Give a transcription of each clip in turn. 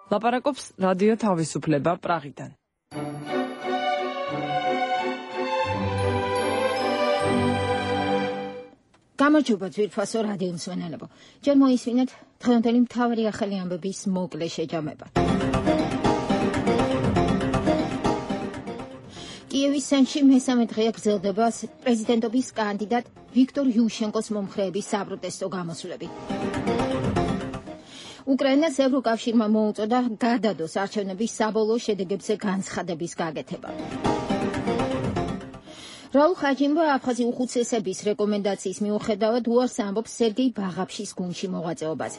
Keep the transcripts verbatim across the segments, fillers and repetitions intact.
ლაპარაკობს რადიო თავისუფლება პრაღიდან. გამარჯობა ძვირფასო რადიო მსმენელებო. ჯერ მოისმინეთ დღევანდელი მთავარი ახალი ამბების მოკლე შეჯამება. კიევის ცენტრში მესამე დღეა გრძელდება პრეზიდენტობის კანდიდატ ვიქტორ იუშენკოს მომხრეების საპროტესტო გამოსვლები. უკრაინას ევროკავშირმა მოუწოდა გადადოს არჩევნების საბოლოო შედეგებზე განცხადების გაკეთება. რაულ ხაჯიმბა აფხაზი უხუცესების რეკომენდაციის მიუხედავად უარს ამბობს სერგეი ბაღაფშის გუნდში მოღვაწეობაზე.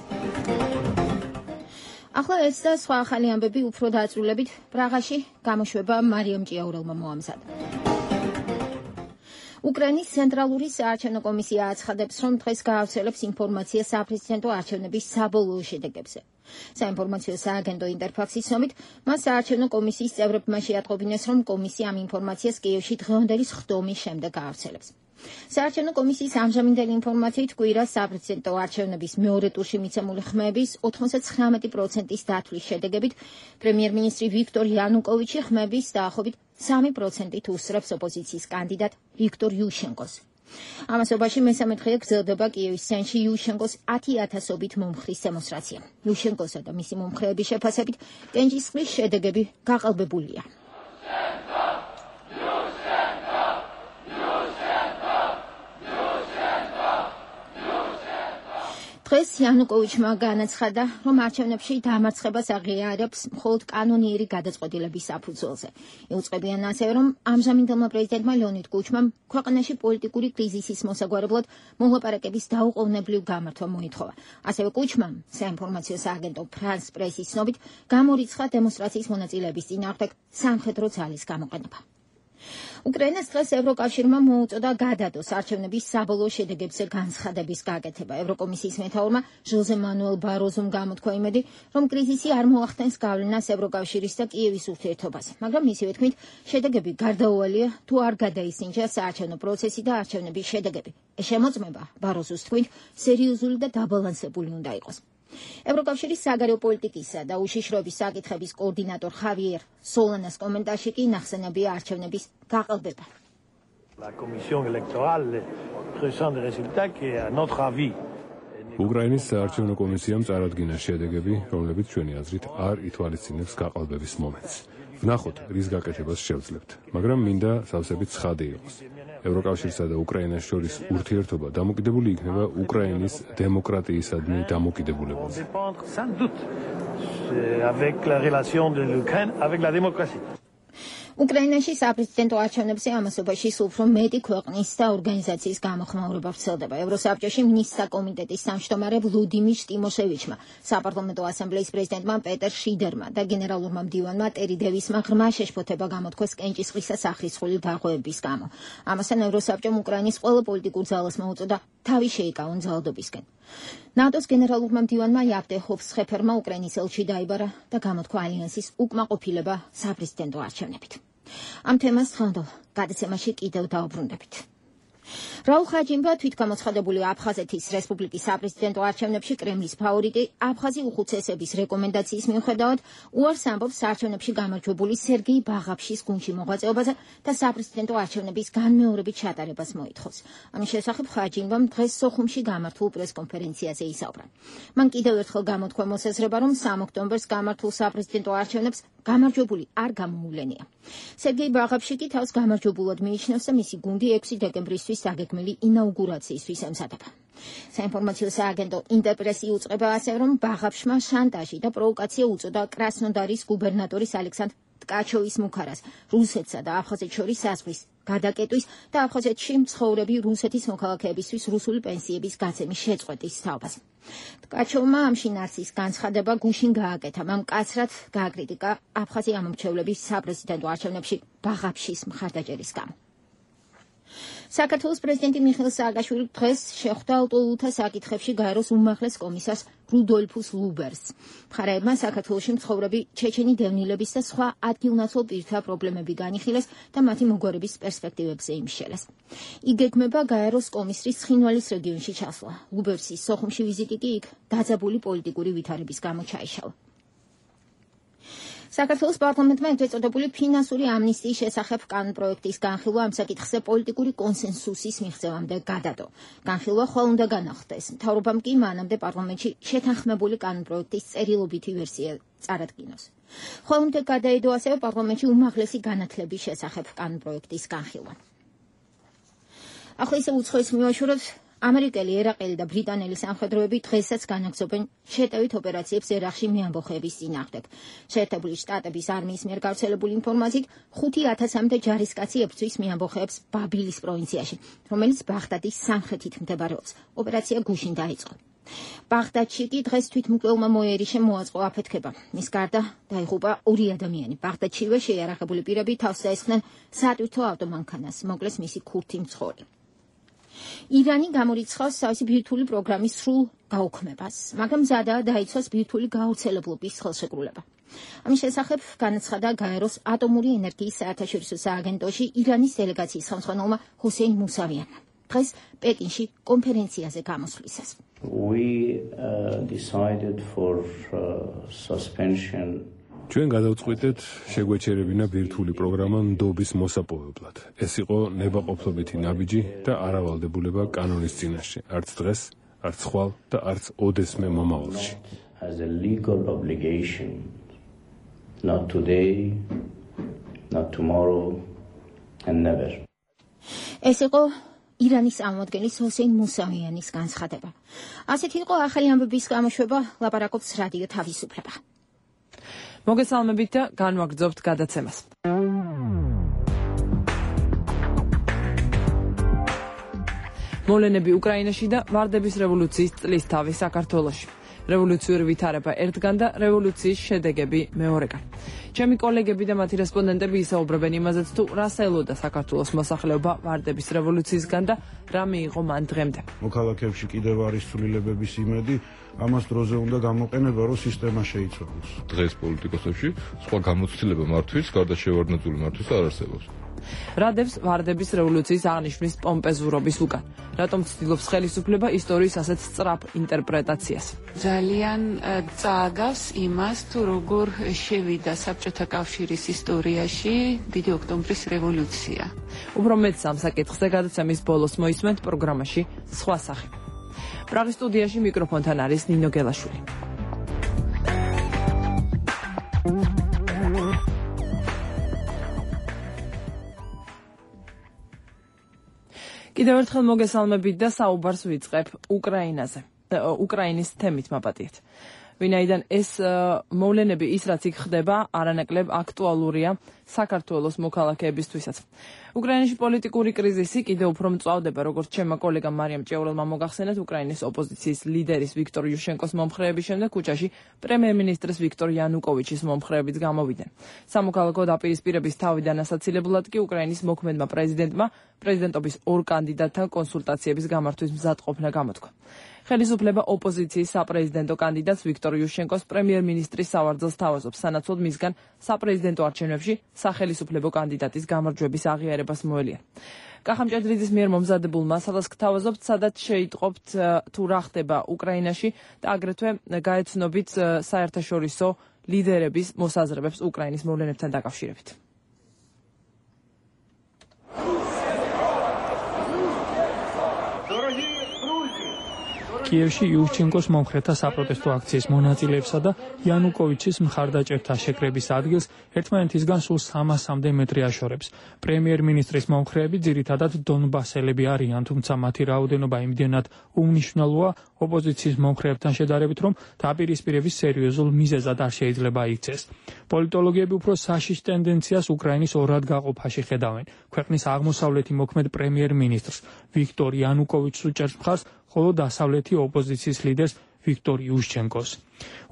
ახლა ეს და სხვა ახალი ამბები უფრო დაწვრილებით პრაღაში გამოშვება მარიამ ჭიაურელმა მოამზადა. უკრაინის ცენტრალური საარჩევნო კომისია აცხადებს, რომ დღეს გაავრცელებს ინფორმაციას საპრეზიდენტო არჩევნების საბოლოო შედეგებზე. საინფორმაციო სააგენტო ინტერფაქსის ცნობით, მას საარჩევნო კომისიის წევრებმა შეატყობინეს, რომ კომისია ამ ინფორმაციას კიევში დღევანდელი სხდომის შემდეგ გაავრცელებს. საარჩევნო კომისიის ამჟამინდელი ინფორმაციით კვირას საპრეზიდენტო არჩევნების მეორე ტურში მიცემული ხმების ოთხმოცდათხრამეტი პროცენტის დათვლის შედეგებით პრემიერ-მინისტრი ვიქტორ იანუკოვიჩი ხმების დაახლოებით სამი პროცენტით უსწრებს ოპოზიციის კანდიდატ ვიქტორ იუშენკოს. ამასობაში მესამე დღეა გრძელდება კიევის ცენტრში იუშენკოს ათი ათასობით მომხრის დემონსტრაცია. იუშენკოსა და მისი მომხრეების შეფასებით კენჭისყრის შედეგები გაყალბებულია. დღეს იანუკოვიჩმა განაცხადა, რომ არჩევნებში დამარცხებას აღიარებს მხოლოდ კანონიერი გადაწყვეტილების საფუძველზე. იუწყებიან ასევე, რომ ამჟამინდელმა პრეზიდენტმა ლეონიდ კუჩმამ ქვეყანაში პოლიტიკური კრიზისის მოსაგვარებლად მოლაპარაკების დაუყოვნებლივ გამართვა მოითხოვა. ასევე კუჩმამ საინფორმაციო სააგენტო ფრანს პრესის ცნობით გამორიცხა დემონსტრაციის მონაწილეების წინააღმდეგ სამხედრო ძალის გამოყენება. უკრაინას დღეს ევროკავშირმა მოუწოდა გადადოს არჩევნების საბოლოო შედეგებზე განცხადების გაკეთება. ევროკომისიის მეთაურმა ჟოზე მანუელ ბაროზომ გამოთქვა იმედი, რომ კრიზისი არ მოახდენს გავლენას ევროკავშირის და კიევის ურთიერთობაზე, მაგრამ მისივე თქმით, შედეგები გარდაუვალია თუ არ გადაისინჯა საარჩევნო პროცესი და არჩევნების შედეგები. ეს შემოწმება, ბაროზოს თქმით, სერიოზული და დაბალანსებული უნდა იყოს. ევროკავშირის საგარეო პოლიტიკისა და უშიშროების საკითხების კოორდინატორ ხავიერ სოლანას კომენტარში კი ნახსენებია არჩევნების გაყალბება. უკრაინის საარჩევნო კომისიამ წარადგინა შედეგები, რომლებიც ჩვენი აზრით არ ითვალისწინებს გაყალბების მომენტს. ვნახოთ, რის გაკეთებას შევძლებთ, მაგრამ მინდა სავსებით ცხადი იყოს. ევროკავშირსა და უკრაინას შორის ურთიერთობა დამოკიდებული იქნება უკრაინის დემოკრატიისადმი დამოკიდებულებაზე. უკრაინაში საპრეზიდენტო არჩევნებზე ამასობაში სულ უფრო მეტი ქვეყნის და ორგანიზაციის გამოხმაურება ვრცელდება. ევროსაბჭოში მინისტრთა კომიტეტის თავმჯდომარე ვლუდიმირ ტიმოშევიჩმა, საპარლამენტო ასამბლეის პრეზიდენტმა პეტერ შიდერმა და გენერალურმა მდივანმა ტერი დევისმა ღრმა შეშფოთება გამოთქვეს კენჭისყრისა სახრისხული დარღვევების გამო. ამასთან ევროსაბჭომ უკრაინის ყველა პოლიტიკურ ძალას მოუწოდა თავი შეიკავონ ძალადობისკენ. ნატოს გენერალურმა მდივანმა იაფტე ჰოფსხეფერმა უკრაინის ელჩი დაიბარა და გამოთქვა ალიანსის უკმაყოფილება საპრეზიდენტო არჩევნებით. ამ თემას ხანდალ გადაცემაში კიდევ დაუბრუნდებით. რაულ ხაჯიმბა თვითგამოცხადებული აფხაზეთის რესპუბლიკის საპრეზიდენტო არჩევნებში კრემლის ფავორიტი აფხაზი უხუცესების რეკომენდაციის მიუხედავად უარს ამბობს არჩევნებში გამარჯვებული სერგეი ბაღაფშის გუნდში მოღვაწეობაზე და საპრეზიდენტო არჩევნების განმეორებით ჩატარებას მოითხოვს. ამის შესახებ ხაჯიმბამ დღეს სოხუმში გამართულ პრესკონფერენციაზე ისაუბრა. მან კიდევ ერთხელ გამოთქვა მოსაზრება, რომ სამ ოქტომბერს გამართულ საპრეზიდენტო არჩევნებს გამარჯვებული არ გამოუვლენია. სერგეი ბაღაფში კი თავს გამარჯვებულად მიიჩნევს და მისი გუნდი ექვსი დეკემბრისთვის დაგეგმილი ინაუგურაციისთვის ემზადება. საინფორმაციო სააგენტო ინტერპრესი უწყება ასევე, რომ ბაღაფშმა შანტაჟი და პროვოკაცია უწოდა კრასნოდარის გუბერნატორის ალექსანდრ ტკაჩოვის მუქარას რუსეთსა და აფხაზეთს შორის საზღვრის გადაკეტვის და აფხაზეთში მცხოვრები რუსეთის მოქალაქეებისთვის რუსული პენსიების გაცემის შეწყვეტის თაობაზე. ტკაჩოვმა ამ შინაარსის განცხადება გუშინ გააკეთა, მან მკაცრად გააკრიტიკა აფხაზი ამომრჩევლების საპრეზიდენტო არჩევნებში ბაღაფშის მხარდაჭერის გამო. საქართველოს პრეზიდენტი მიხეილ სააკაშვილი დღეს შეხვდა ლტოლვილთა საკითხებში გაეროს უმაღლეს კომისარს რუდოლფუს ლუბერს. მხარეებმა საქართველოში მცხოვრები ჩეჩენი დევნილების და სხვა ადგილნაცვალ პირთა პრობლემები განიხილეს და მათი მოგვარების პერსპექტივებზე იმშელეს. იგეგმება გაეროს კომისრის ცხინვალის რეგიონში ჩასვლა. ლუბერსის სოხუმში ვიზიტი კი იქ დაძაბული პოლიტიკური ვითარების გამო ჩაიშალა. საქართველოს პარლამენტმა ეწოდებული ფინანსური ამნისტიის შესახებ კანონპროექტის განხილვა ამ საკითხზე პოლიტიკური კონსენსუსის მიღწევამდე გადადო. განხილვა ხვალ უნდა განახლდეს. მთავრობამ კი მანამდე პარლამენტში შეთანხმებული კანონპროექტის წერილობითი ვერსია წარადგინოს. ხვალ უნდა გადაედო ასევე პარლამენტში უმაღლესი განათლების შესახებ კანონპროექტის განხილვა. ახლა ისე უცხოეს მივაშუროთ. ამერიკელი, ერაყელი და ბრიტანელი სამხედროები დღესაც განაგრძობენ შეტევით ოპერაციებს ერაყში მეამბოხეების წინააღმდეგ. შეერთებული შტატების არმიის მიერ გავრცელებული ინფორმაციით ხუთი ათასამდე ჯარისკაცი ებრძვის მეამბოხეებს ბაბილის პროვინციაში, რომელიც ბაღდადის სამხრეთით მდებარეობს. ოპერაცია გუშინ დაიწყო. ბაღდადში კი დღეს თვითმკვლელმა მოიერიშე მოაწყო აფეთქება. მის გარდა დაიღუპა ორი ადამიანი. ბაღდადშივე შეიარაღებული პირები თავს დაესხნენ სატვირთო ავტომანქანას, მოკლეს მისი ქურთი მცხოვრი. ირანი გამორიცხავს თავისი ბირთვული პროგრამის სრულ გაუქმებას, მაგრამ მზადაა დაიცვას ბირთვული გაავრცელებლობის ხელშეკრულება. ამის შესახებ განაცხადა გაეროს ატომური ენერგიის საერთაშორისო სააგენტოში ირანის დელეგაციის ხელმძღვანელმა ჰუსეინ მუსავიანმა. დღეს პეკინში კონფერენციაზე გამოსვლისას. We uh, decided for uh, suspension ჩვენ გადავწყვიტეთ შეგვეჩერებინა ბირთვული პროგრამა ნდობის მოსაპოვებლად. ეს იყო ნებაყოფლობითი ნაბიჯი და არავალდებულება კანონის წინაშე, არც დღეს, არც ხვალ და არც ოდესმე მომავალში. as a legal obligation, not today, not tomorrow, and never. ეს იყო ირანის წარმომადგენლის ჰუსეინ მუსავიანის განცხადება. ასეთ იყო ახალი ამბების გამოშვება, ლაპარაკობს რადიო თავისუფლება. მოგესალმებით და განვაგრძობთ გადაცემას. მოვლენები უკრაინაში და ვარდების რევოლუციის წლისთავი საქართველოში. რევოლუციური ვითარება ერთგან და რევოლუციის შედეგები მეორეგან. ჩემი კოლეგები და მათი რესპონდენტები ისაუბრებენ იმაზეც, თუ რას ელოდა საქართველოს მოსახლეობა ვარდების რევოლუციისგან და რა მიიღო მან დღემდე. მოქალაქეებში კიდევ არის ცვლილებების იმედი, ამას დროზე უნდა გამოყენება, რომ სისტემა შეიცვალოს. დღეს პოლიტიკოსებში სხვა გამოცდილება მართვის, გარდა შევარდნაძული მართვის არ არსებობს. რადევს ვარდების რევოლუციის აღნიშვნის პომპეზურობის უკან. რატომ ცდილობს ხელისუფლება ისტორიის ასეთ სწრაფ ინტერპრეტაციას? ძალიან წააგავს იმას, თუ როგორ შევიდა საბჭოთა კავშირის ისტორიაში დიდი ოქტომბრის რევოლუცია. უფრო მეტ ამ საკითხზე გადაცემის ბოლოს მოისმენთ პროგრამაში სხვა სახე. პრაღის სტუდიაში მიკროფონთან არის ნინო გელაშვილი. კიდევ ერთხელ მოგესალმებით და საუბარს ვიწყებ უკრაინაზე. უკრაინის თემით მაპატიეთ. ვინაიდან ეს მოვლენები ის რაც იქ ხდება, არანაკლებ აქტუალურია საქართველოს მოქალაქეებისთვისაც. უკრაინაში პოლიტიკური კრიზისი კიდევ უფრო მწვავდება, როგორც ჩემმა კოლეგამ მარიამ ჭეურელმა მოგახსენეთ, უკრაინის ოპოზიციის ლიდერის ვიქტორ იუშენკოს მომხრეების შემდეგ ქუჩაში პრემიერ-მინისტრის ვიქტორ იანუკოვიჩის მომხრეებიც გამოვიდნენ. სამოქალაქო დაპირისპირების თავიდან ასაცილებლად კი უკრაინის მოქმედმა პრეზიდენტმა პრეზიდენტობის ორ კანდიდატთან კონსულტაციების გამართვის მზადყოფნა გამოთქვა. ხელისუფლება ოპოზიციის საპრეზიდენტო კანდიდატს ვიქტორ იუშენკოს პრემიერ-მინისტრის სავარძელს თავაზობს, სანაცვლოდ მისგან საპრეზიდენტო არჩევნებში სახელისუფლებო კანდიდატის გამარჯვების აღიარებას მოელია. კახამ ჭედრიძის მიერ მომზადებულ მასალას გთავაზობთ, სადაც შეიტყობთ თუ რა ხდება უკრაინაში და აგრეთვე გაეცნობით საერთაშორისო ლიდერების მოსაზრებებს უკრაინის მოვლენებთან დაკავშირებით. კიევში იუშჩენკოს მომხრეთა საპროტესტო აქციის მონაწილეებსა და იანუკოვიჩის მხარდაჭერთა შეკრების ადგილს ერთმანეთისგან სულ სამასამდე მეტრი აშორებს. პრემიერ-მინისტრის მომხრეები ძირითადად დონბასელები არიან, თუმცა მათი რაოდენობა იმდენად უმნიშვნელოა ოპოზიციის მომხრეებთან შედარებით, რომ დაპირისპირების სერიოზულ მიზეზად არ შეიძლება იქცეს. პოლიტოლოგები უფრო საშიშ ტენდენციას უკრაინის ორად გაყოფაში ხედავენ. ქვეყნის აღმოსავლეთი მოქმედ პრემიერ-მინისტრს ვიქტორ იანუკოვიჩს უჭერს მხარს, ხოლო დასავლეთი ოპოზიციის ლიდერს ვიქტორ იუშჩენკოს.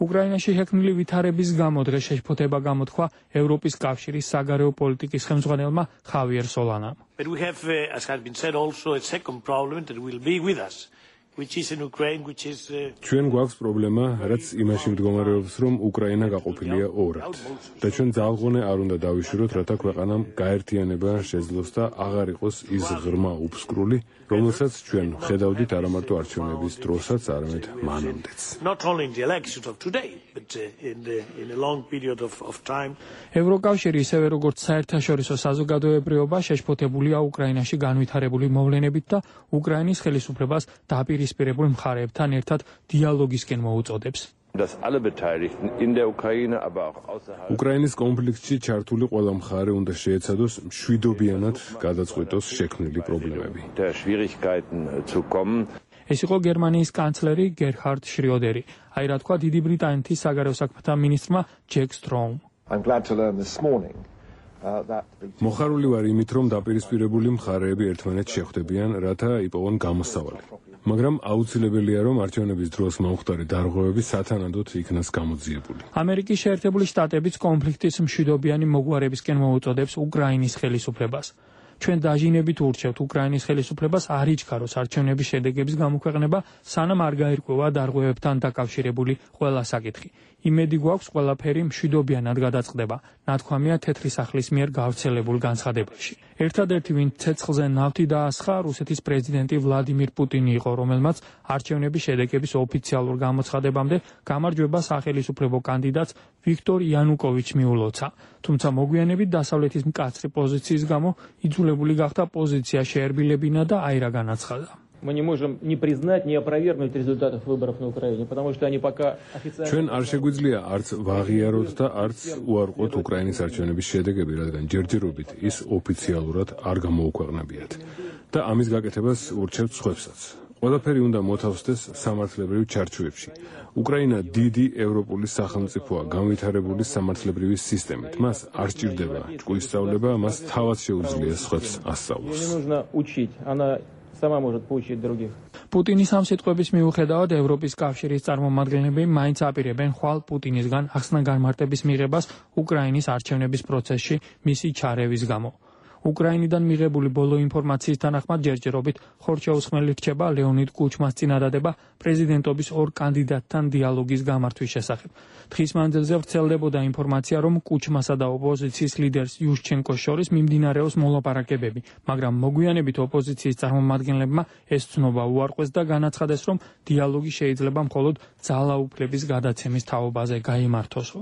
უკრაინაში შექმნილი ვითარების გამო დღეს შეშფოთება გამოთქვა ევროპის კავშირის საგარეო პოლიტიკის ხელმძღვანელმა ხავიერ სოლანამ. But we have, uh, as has been said, also a second problem that will be with us, which is in Ukraine, which is uh, ჩვენ გვაქვს პრობლემა, რაც იმაში მდგომარეობს, რომ უკრაინა გაყოფილია ორად. და ჩვენ ძალღონე არ უნდა დავიშუროთ, რათა ქვეყანამ გაერთიანება შეძლოს და აღარ იყოს ის ღრმა უფსკრული, რომელსაც ჩვენ ხედავდით არა მარტო არჩევნების დროსაც, არამედ მანამდეც. not only in the elections of today, but period, in, the, in a long period of, of time. ევროკავშირი ისევე როგორც საერთაშორისო საზოგადოებრიობა შეშფოთებულია უკრაინაში განვითარებული მოვლენებით და უკრაინის ხელისუფლებას დაპირისპირებულ მხარეებთან ერთად დიალოგისკენ მოუწოდებს. უკრაინის კონფლიქტში ჩართული ყველა მხარე უნდა შეეცადოს მშვიდობიანად გადაწყვიტოს შექმნილი პრობლემები. ეს იყო გერმანიის კანცლერი გერჰარდ შრიოდერი. აი რა თქვა დიდი ბრიტანეთის საგარეო საქმეთა მინისტრმა ჯეკ სტროუმ. მოხარული ვარ იმით, რომ დაპირისპირებული მხარეები ერთმანეთს შეხვდებიან, რათა იპოვონ გამოსავალი. მაგრამ აუცილებელია, რომ არჩევნების დროს მომხდარი დარღვევები სათანადოდ იქნას გამოძიებული. ამერიკის შეერთებული შტატებიც კონფლიქტის მშვიდობიანი მოგვარებისკენ მოუწოდებს უკრაინის ხელისუფლებას. ჩვენ დაჟინებით ურჩევთ უკრაინის ხელისუფლებას არ იჩქაროს არჩევნების შედეგების გამოქვეყნება, სანამ არ გაირკვევა დარღვევებთან დაკავშირებული ყველა საკითხი. იმედი გვაქვს ყველაფერი მშვიდობიანად გადაწყდება, ნათქვამია თეთრი სახლის მიერ გავრცელებულ განცხადებაში. ერთადერთი, ვინც ცეცხლზე ნავთი დაასხა, რუსეთის პრეზიდენტი ვლადიმირ პუტინი იყო, რომელმაც არჩევნების შედეგების ოფიციალურ გამოცხადებამდე გამარჯვება სახელისუფლებო კანდიდატს ვიქტორ იანუკოვიჩს მიულოცა. თუმცა მოგვიანებით დასავლეთის მკაცრი პოზიციის გამო იძულებული გახდა პოზიცია შეერბილებინა და აი რა განაცხადა. Мы не можем не признать, не опровергнуть результатов выборов на Украине, потому что они пока официально... ჩვენ არ შეგვიძლია არც ვაღიაროთ და არც უარყოთ უკრაინის არჩევნების შედეგები, რადგან ჯერჯერობით ის ოფიციალურად არ გამოუქვეყნებიათ და ამის გაკეთებას ურჩევთ სხვებსაც. ყველაფერი უნდა მოთავსდეს სამართლებრივ ჩარჩოებში. უკრაინა დიდი ევროპული სახელმწიფოა განვითარებული სამართლებრივი სისტემით. მას არ სჭირდება ჭკუისწავლება, მას თავად შეუძლია სხვებს ასწავლოს. Сама может поучить других. პუტინის ამ სიტყვების მიუხედავად ევროპის კავშირის წარმომადგენლები მაინც აპირებენ ხვალ პუტინისგან ახსნა-განმარტების მიღებას უკრაინის არჩევნების პროცესში მისი ჩარევის გამო. უკრაინიდან მიღებული ბოლო ინფორმაციის თანახმად ჯერჯერობით ხორჩეუსხმელი რჩება ლეონიდ კუჩმას წინადადება პრეზიდენტობის ორ კანდიდატთან დიალოგის გამართვის შესახებ. დღის მანძილზე ვრცელდებოდა ინფორმაცია, რომ კუჩმასა და ოპოზიციის ლიდერს იუშჩენკოს შორის მიმდინარეობს მოლაპარაკებები, მაგრამ მოგვიანებით ოპოზიციის წარმომადგენლებმა ეს ცნობა უარყვეს და განაცხადეს, რომ დიალოგი შეიძლება მხოლოდ ძალაუფლების გადაცემის თაობაზე გაიმართოსო.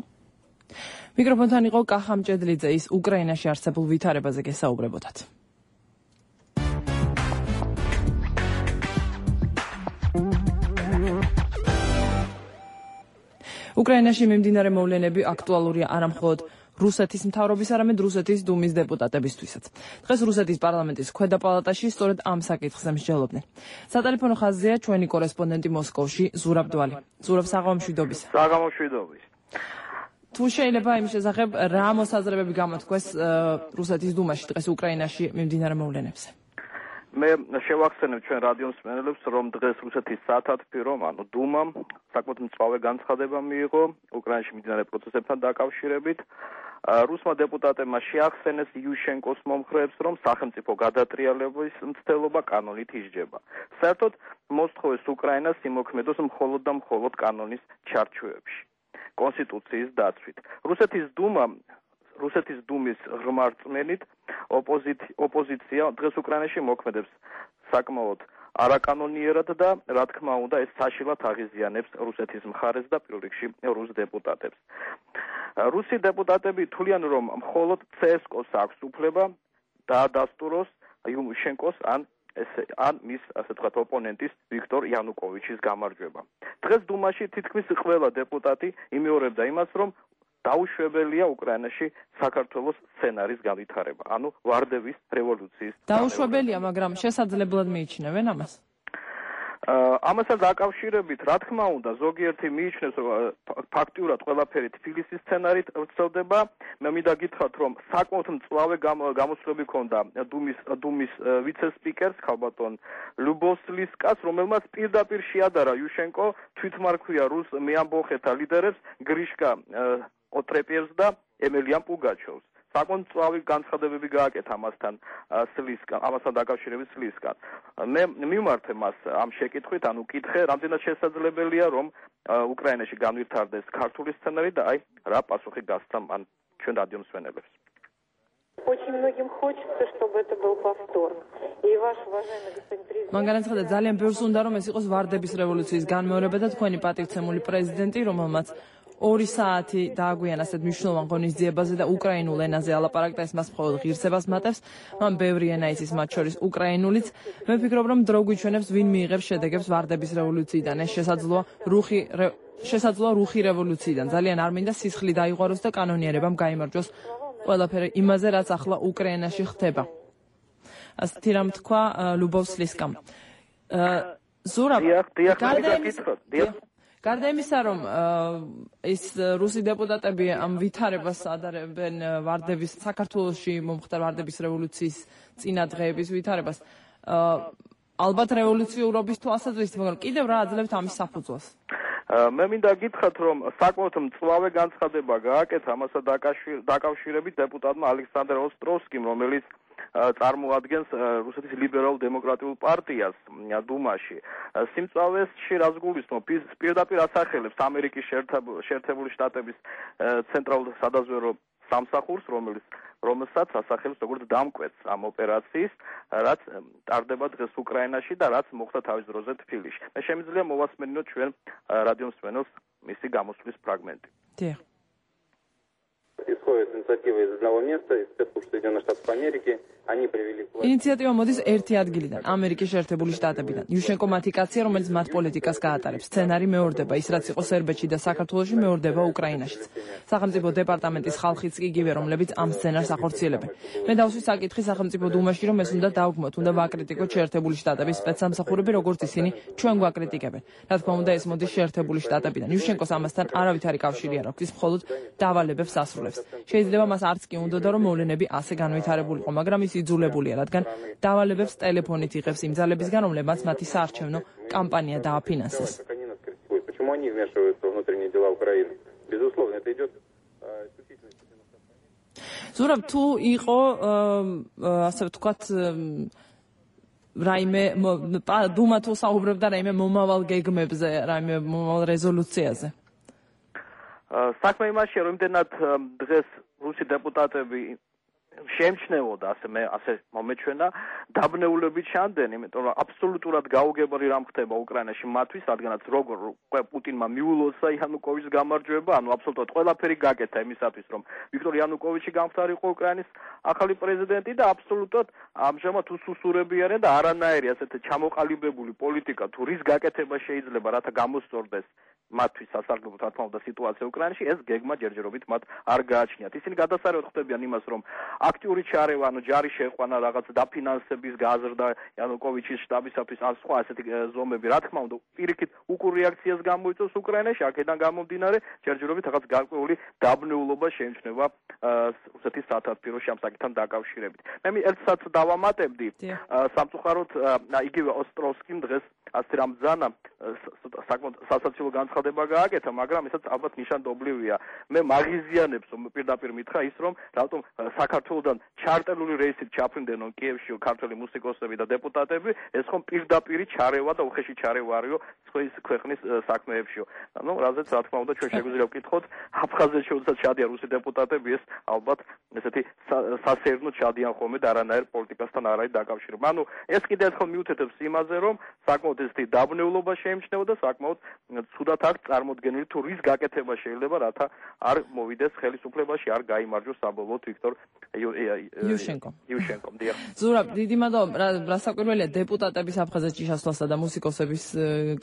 მიკროფონთან იყო კახა მჭედლიძე, ის უკრაინაში არსებულ ვითარებაზე გესაუბრებოდათ. უკრაინაში მიმდინარე მოვლენები აქტუალურია არა მხოლოდ რუსეთის მთავრობის, არამედ რუსეთის დუმის დეპუტატებისთვისაც. დღეს რუსეთის პარლამენტის ქვედა პალატაში სწორედ ამ საკითხზე მსჯელობდნენ. სატელეფონო ხაზია ჩვენი კორესპონდენტი მოსკოვში ზურაბ დვალი. ზურაბ, საღამომშვიდობის. საღამომშვიდობის. თუ შეიძლება იმ შესახებ რა მოსაზრებები გამოთქვეს რუსეთის დუმაში დღეს უკრაინაში მიმდინარე მოვლენებზე? მე შევახსენებ ჩვენ რადიო მსმენელებს, რომ დღეს რუსეთის სათათბირო, ანუ დუმამ საკმაოდ მწვავე განცხადება მიიღო უკრაინაში მიმდინარე პროცესებთან დაკავშირებით. რუსმა დეპუტატებმა შეახსენეს იუშენკოს მომხრეებს, რომ სახელმწიფო გადატრიალების მცდელობა კანონით ისჯება. საერთოდ მოსთხოვეს უკრაინას იმოქმედოს მხოლოდ და მხოლოდ კანონის ჩარჩოებში. კონსტიტუციის დაცვით. რუსეთის დუმა, რუსეთის დუმის ღრმა რწმენით ოპოზიცია დღეს უკრაინაში მოქმედებს საკმაოდ არაკანონიერად და რა თქმა უნდა ეს საშინლად აღიზიანებს რუსეთის მხარეს და პირველ რიგში რუს დეპუტატებს. რუსი დეპუტატები თვლიან, რომ მხოლოდ ცსკოს აქვს უფლება დაადასტუროს იუშენკოს ან ესე ან მის ასე ვთქვათ ოპონენტის ვიქტორ იანუკოვიჩის გამარჯვება. დღეს დუმაში თითქმის ყველა დეპუტატი იმეორებდა იმას, რომ დაუშვებელია უკრაინაში საქართველოს სცენარის განვითარება, ანუ ვარდების რევოლუციის. დაუშვებელია, მაგრამ შესაძლებლად მიიჩნევენ ამას? ამასთან დაკავშირებით, რა თქმა უნდა, ზოგიერთი მიიჩნევს, რომ ფაქტიურად ყველაფერი თბილისის სცენარით ვრცელდება. მე მინდა გითხრათ, რომ საკმაოდ მწვავე გამოსვლები ჰქონდა დუმის დუმის ვიცე-სპიკერს ქალბატონ ლუბოვსლისკას, რომელმაც პირდაპირ შეადარა იუშენკო თვითმარქვია რუს მეამბოხეთა ლიდერებს გრიშკა ოტრეპიევს და ემელიან პუგაჩოვს. საკმაოდ მწვავე განცხადებები გააკეთა ამასთან სლისკა, ამასთან დაკავშირებით სლისკა. მე მიმართე მას ამ შეკითხვით, ანუ კითხე, რამდენად შესაძლებელია, რომ უკრაინაში განვითარდეს ქართული სცენარი და აი რა პასუხი გასცა მან ჩვენ რადიო მსმენელებს. Очень многим хочется, чтобы это был повтор. И ваш уважаемый господин президент. მან განაცხადა, ძალიან ბევრს უნდა, რომ ეს იყოს ვარდების რევოლუციის განმეორება და თქვენი პატივცემული პრეზიდენტი, რომელმაც ორი საათი დააგვიანა ასეთ მნიშვნელოვან ღონისძიებაზე და უკრაინულ ენაზე ალაპარაკდა, ეს მას მხოლოდ ღირსებას მატებს. მან ბევრი ენა იცის, მათ შორის უკრაინულიც. მე ვფიქრობ, რომ დრო გვიჩვენებს, ვინ მიიღებს შედეგებს ვარდების რევოლუციიდან. ეს შესაძლოა რუხი შესაძლოა რუხი რევოლუციიდან. ძალიან არ მინდა სისხლი დაიღაროს და კანონიერებამ გაიმარჯვოს ყველაფერი იმაზე, რაც ახლა უკრაინაში ხდება. ასეთი რამ თქვა ლუბოვ სლისკამ. ზურაბ, გარდა იმისა, რომ ის რუსი დეპუტატები ამ ვითარებას ადარებენ ვარდების საქართველოში მომხდარ ვარდების რევოლუციის წინა დღეების ვითარებას, ალბათ რევოლუციურობის თვალსაზრისით, მაგრამ კიდევ რა აძლევთ ამის საფუძველს? მე მინდა გითხრათ, რომ საკმაოდ მწვავე განცხადება გააკეთა ამასა დაკავშირებით დეპუტატმა ალექსანდრ ოსტროვსკიმ, რომელიც წარმოადგენს რუსეთის ლიბერალ-დემოკრატიულ პარტიას დუმაში. სიმწვავეში რაც გულისხმობ, პირდაპირ ასახელებს ამერიკის შეერთებული შტატების ცენტრალურ სადაზვერვო სამსახურს, რომელიც რომელსაც ასახელებს როგორც დამკვეთს ამ ოპერაციის, რაც ტარდება დღეს უკრაინაში და რაც მოხდა თავის დროზე თბილისში. მე შემიძლია მოვასმენინოთ ჩვენ რადიო მსმენელს მისი გამოსვლის ფრაგმენტი. დიახ. Исходит инициатива из одного места, из спецслужб Соединенных Штатов Америки. Они привели к власти. ინიციატივა მოდის ერთი ადგილიდან, ამერიკის შეერთებული შტატებიდან. იუშენკო მათი კაცია, რომელიც მათ პოლიტიკას გაატარებს. სცენარი მეორდება, ის რაც იყო სერბეთში და საქართველოში მეორდება უკრაინაშიც. სახელმწიფო დეპარტამენტის ხალხიც კი იგივე, რომლებიც ამ სცენარს ახორციელებენ. მე დავსვი საკითხი სახელმწიფო დუმაში, რომ ეს უნდა დავგმოთ, უნდა ვაკრიტიკოთ შეერთებული შტატების სპეცსამსახურები, როგორც ისინი ჩვენ გვაკრიტიკებენ. რა თქმა უნდა, ეს მოდის შეერთებული შტატებიდან. იუშენკოს ამასთან არავითარი კავშირი არ აქვს, ის მხოლოდ დავალებებს ასრულებს. შეიძლება მას არც კი უნდა რომ მოვლენები ასე განვითარებულიყო, მაგრამ ის იძულებულია, რადგან დავალებებს ტელეფონით იღებს იმ ძალებისგან, რომლებმაც მათი საარჩევნო კამპანია დააფინანსეს. Почему они вмешиваются в внутренние дела Украины? Безусловно, это идет ზურაბ, თუ იყო ასე ვთქვათ რაიმე დუმა თუ საუბრობდა რაიმე მომავალ გეგმებზე, რაიმე მომავალ რეზოლუციაზე. საქმე იმაშია, რომ იმდენად დღეს რუსი დეპუტატები შეემჩნევოდა, ასე მე ასე მომეჩვენა, დაბნეულებით ჩანდნენ, იმიტომ რომ აბსოლუტურად გაუგებარი რამ ხდება უკრაინაში მათთვის, რადგანაც როგორ პუტინმა მიულოცა იანუკოვიჩის გამარჯვება, ანუ აბსოლუტურად ყველაფერი გაკეთა იმისათვის, რომ ვიქტორ იანუკოვიჩი გამხდარიყო უკრაინის ახალი პრეზიდენტი და აბსოლუტურად ამჟამად უსუსურებიან და არანაირი ასეთი ჩამოყალიბებული პოლიტიკა თუ რის გაკეთება შეიძლება, რათა გამოსწორდეს მათთვის სასარგებლო რა თქმა უნდა სიტუაცია უკრაინაში, ეს გეგმა ჯერჯერობით მათ არ გააჩნიათ. ისინი გადასარევად ხვდებიან იმას, რომ აქტიური ჩარევა, ანუ ჯარი შეყვანა, რაღაც დაფინანსების გაზრდა იანუკოვიჩის შტაბისათვის ან სხვა ასეთი ზომები, რა თქმა უნდა, პირიქით უკურ რეაქციას გამოიწვევს უკრაინაში, აქედან გამომდინარე, ჯერჯერობით რაღაც გარკვეული დაბნეულობა შეიმჩნევა რუსეთის სათათბიროში ამ საკითხთან დაკავშირებით. მე ერთსაც დავამატებდი, სამწუხაროდ იგივე ოსტროვსკიმ დღეს ასე რამ ბრძანა საკმაოდ სასაცილო განცხადება გააკეთა, მაგრამ ესაც ალბათ ნიშანდობლივია. მე მაღიზიანებს პირდაპირ მითხრა ის, რომ რატომ საქართველოსთან ჩარტერული რეისით ჩაფრინდნენო კიევში ქართველი მუსიკოსები და დეპუტატები, ეს ხომ პირდაპირი ჩარევა და უხეში ჩარევა არისო სხვის ქვეყნის საქმეებშიო. ანუ რაზეც რა თქმა უნდა ჩვენ შეგვიძლია ვკითხოთ, აფხაზეთში როდესაც ჩადიან რუსი დეპუტატები, ეს ალბათ ესეთი სასეირნოდ ჩადიან ხოლმე და არანაირ პოლიტიკასთან არ არის დაკავშირებული. ანუ ეს კიდევ ერთხელ მიუთითებს იმაზე, რომ საკმაოდ ესეთი დაბნეულობა შეიმჩნევა და საკმაოდ ცუდად აქვს წარმოდგენილი თუ რის გაკეთება შეიძლება, რათა არ მოვიდეს ხელისუფლებაში, არ გაიმარჯვოს საბოლოოდ ვიქტორ იუშენკო. იუშენკო, დიახ. ზურაბ, დიდი მადლობა, რასაკვირველია დეპუტატების აფხაზეთში ჩასვლასა და მუსიკოსების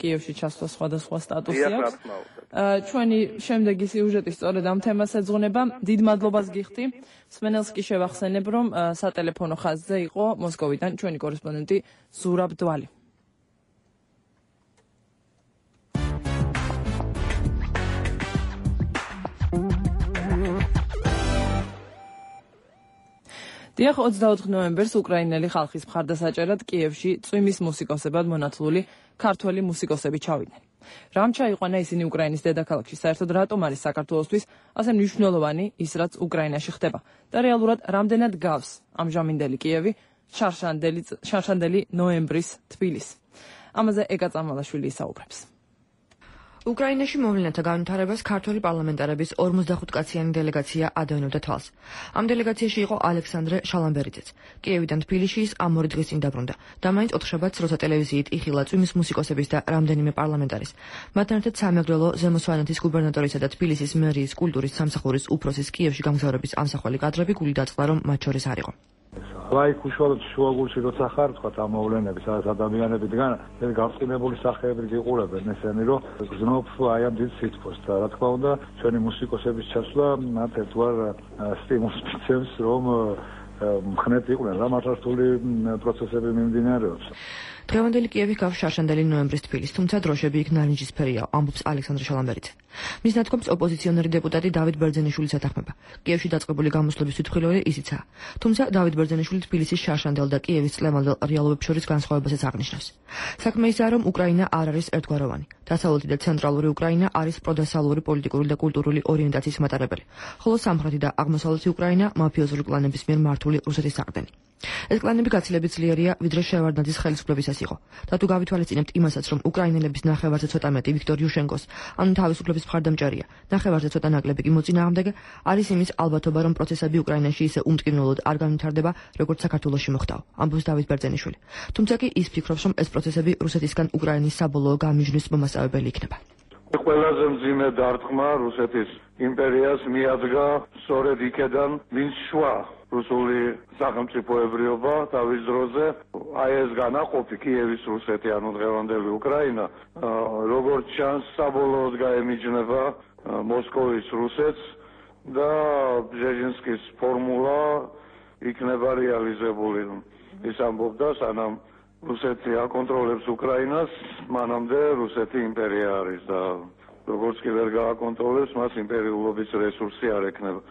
კიევში ჩასვლა სხვადასხვა სტატუსი აქვს. ჩვენი შემდეგი სიუჟეტი სწორედ ამ თემას ეძღვნება. დიდ მადლობას გიხდი. მსმენელს კი შევახსენებ, რომ სატელეფონო ხაზზე იყო მოსკოვიდან ჩვენი კორესპონდენტი ზურაბ დვალი. დიახ, ოცდაოთხ ნოემბერს უკრაინელი ხალხის მხარდასაჭერად კიევში წვიმის მუსიკოსებად მონათლული ქართველი მუსიკოსები ჩავიდნენ. რამ ჩაიყვანა ისინი უკრაინის დედაქალაქში, საერთოდ რატომ არის საქართველოსთვის ასე მნიშვნელოვანი ის, რაც უკრაინაში ხდება და რეალურად რამდენად გავს ამჟამინდელი კიევი შარშანდელი შარშანდელი ნოემბრის თბილისს. ამაზე ეკა წამალაშვილი ისაუბრებს. უკრაინაში მოვლენათა განვითარებას ქართული პარლამენტარების ორმოცდახუთ კაციანი დელეგაცია ადევნებდა თვალს. ამ დელეგაციაში იყო ალექსანდრე შალამბერიძეც. კიევიდან თბილისში ის ამ ორი დღის წინ დაბრუნდა და მაინც ოთხშაბათს როცა ტელევიზიით იხილა წვიმის მუსიკოსების და რამდენიმე პარლამენტარის. მათთან ერთად სამეგრელო ზემო სვანეთის გუბერნატორისა და თბილისის მერიის კულტურის სამსახურის უფროსის კიევში გამგზავრების ამსახველი კადრები გული დაწყდა, რომ მათ შორის არ იყო. ლაიქ უშუალოდ შუაგულში როცა ხარ თქვა ამ მოვლენები, სადაც ადამიანები დგან, ეს გავწინებული სახეებით იყურებენ ესენი, რომ გზნობ აი ამ დიდ სიტყვას და რა თქმა უნდა, ჩვენი მუსიკოსების ჩასვლა მათ ერთგვარ სტიმულს მისცემს, რომ მხნეთ იყვნენ რა მართლმსტული პროცესები მიმდინარეობს. დღევანდელი კიევი გავს შარშანდელი ნოემბრის თბილისს, თუმცა დროშები იქ ნარინჯისფერია, ამბობს ალექსანდრე შალამბერიძე. მის ნათქვამს ოპოზიციონერი დეპუტატი დავით ბერძენიშვილიც ეთანხმება. კიევში დაწყებული გამოსვლების თვითმხილველი ისიცაა. თუმცა დავით ბერძენიშვილი თბილისის შარშანდელ და კიევის წლევანდელ რეალობებს შორის განსხვავებასაც აღნიშნავს. საქმე ისაა, რომ უკრაინა არ არის ერთგვაროვანი. დასავლეთი და ცენტრალური უკრაინა არის პროდასალური პოლიტიკური და კულტურული ორიენტაციის მატარებელი, ხოლო სამხრეთი და აღმოსავლეთი უკრაინა მაფიოზური კლანების მიერ მართული რუსეთის საყრდენი. ეს კლანები გაცილებით ძლიერია, ვიდრე შევარდნაძის ხელისუფლებისას იყო. და თუ გავითვალისწინებთ იმასაც, რომ უკრაინელების ნახევარზე ცოტა მეტი ვიქტორ იუშენკოს, ანუ თავისუფლების მხარდამჭერია, ნახევარზე ცოტა ნაკლები კი მოწინააღმდეგე, არის იმის ალბათობა, რომ პროცესები უკრაინაში ისე უმტკივნეულად არ განვითარდება, როგორც საქართველოში მოხდაო, ამბობს დავით ბერძენიშვილი. თუმცა კი ის ფიქრობს, რომ ეს პროცესები რუსეთისგან უკრაინის საბოლოო გამიჯვნის მომასწავებელი იქნება. ყველაზე მძიმე დარტყმა რუსეთის იმპერიას მიადგა სწორედ იქედან, ვინც შვა რუსული სახელმწიფოებრიობა თავის დროზე, აი ეს განაყოფი კიევის რუსეთი, ანუ დღევანდელი უკრაინა, როგორც ჩანს, საბოლოოდ გაემიჯნება მოსკოვის რუსეთს და ბჟეჟინსკის ფორმულა იქნება რეალიზებული. ის ამბობდა, სანამ რუსეთი აკონტროლებს უკრაინას, მანამდე რუსეთი იმპერია არის და როგორც კი ვერ გააკონტროლებს, მას იმპერიულობის რესურსი არ ექნება.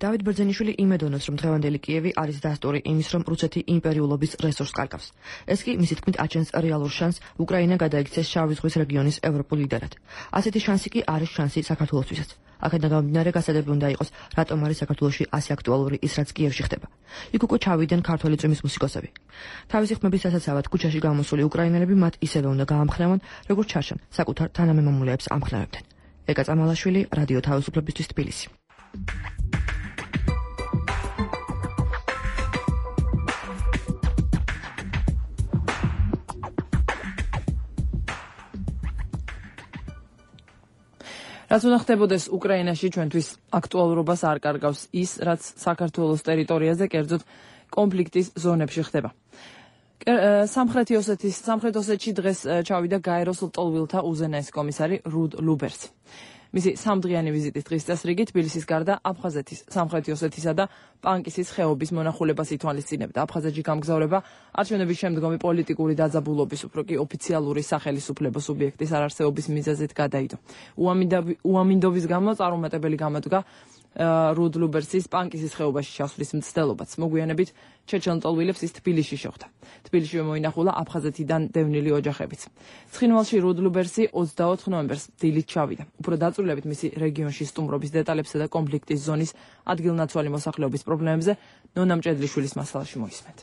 დავით ბერძენიშვილი იმედოვნებს, რომ დღევანდელი კიევი არის დასტური იმის, რომ რუსეთი იმპერიულობის რესურსს კარგავს. ეს კი მისი თქმით აჩენს რეალურ შანსს უკრაინა გადაიქცეს შავი ზღვის რეგიონის ევროპულ ლიდერად. ასეთი შანსი კი არის შანსი საქართველოსთვისაც. აქედან გამომდინარე გასადები უნდა იყოს, რატომ არის საქართველოში ასე აქტუალური ის, რაც კიევში ხდება. იქ უკვე ჩავიდნენ ქართველი წვიმის მუსიკოსები. თავისი ხმების დასაცავად ქუჩაში გამოსული უკრაინელები მათ ისევე უნდა გაამხნევონ, როგორც ჩარჩენ საკუთარ თანამემამულეებს ამხნევებდნენ. ეკა წამალაშვილი, რადიო თავისუფლებისთვის თბილისი. რაც უნდა ხდებოდეს უკრაინაში ჩვენთვის აქტუალურობას არ კარგავს ის, რაც საქართველოს ტერიტორიაზე, კერძოდ კონფლიქტის ზონებში ხდება. სამხრეთი ოსეთის, სამხრეთ ოსეთში დღეს ჩავიდა გაეროს ლტოლვილთა უზენაეს კომისარი რუდ ლუბერსი. მისი სამდღიანი ვიზიტის დღის წესრიგი თბილისის გარდა აფხაზეთის, სამხრეთი ოსეთისა და პანკისის ხეობის მონახულებას ითვალისწინებდა. აფხაზეთში გამგზავრება არჩევნების შემდგომი პოლიტიკური დაძაბულობის, უფრო კი ოფიციალური სახელისუფლებო სუბიექტის არარსეობის მიზეზით გადაიდო. უამინდობის გამო წარუმატებელი გამოდგა რუდ ლუბერსის პანკისის ხეობაში ჩასვლის მცდელობაც. მოგვიანებით ჩეჩელნტოლვილებს ის თბილისში შეხვდა. თბილისში მოინახულა აფხაზეთიდან დევნილი ოჯახებიც. ცხინვალში რუდ ლუბერსი ოცდაოთხ ნოემბერს დილით ჩავიდა. უფრო დაწვრილებით მისი რეგიონში სტუმრობის დეტალებსა და კონფლიქტის ზონის ადგილნაცვალი მოსახლეობის პრობლემებზე ნონა მჭედლიშვილის მასალაში მოისმენთ.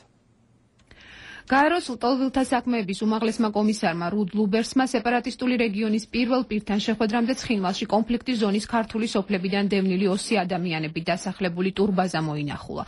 გაეროს ლტოლვილთა საქმეების უმაღლესმა კომისარმა რუდ ლუბერსმა სეპარატისტული რეგიონის პირველ პირთან შეხვედრამდე ცხინვალში კონფლიქტის ზონის ქართული სოფლებიდან დევნილი ოცი ადამიანები დასახლებული ტურბაზა მოინახულა.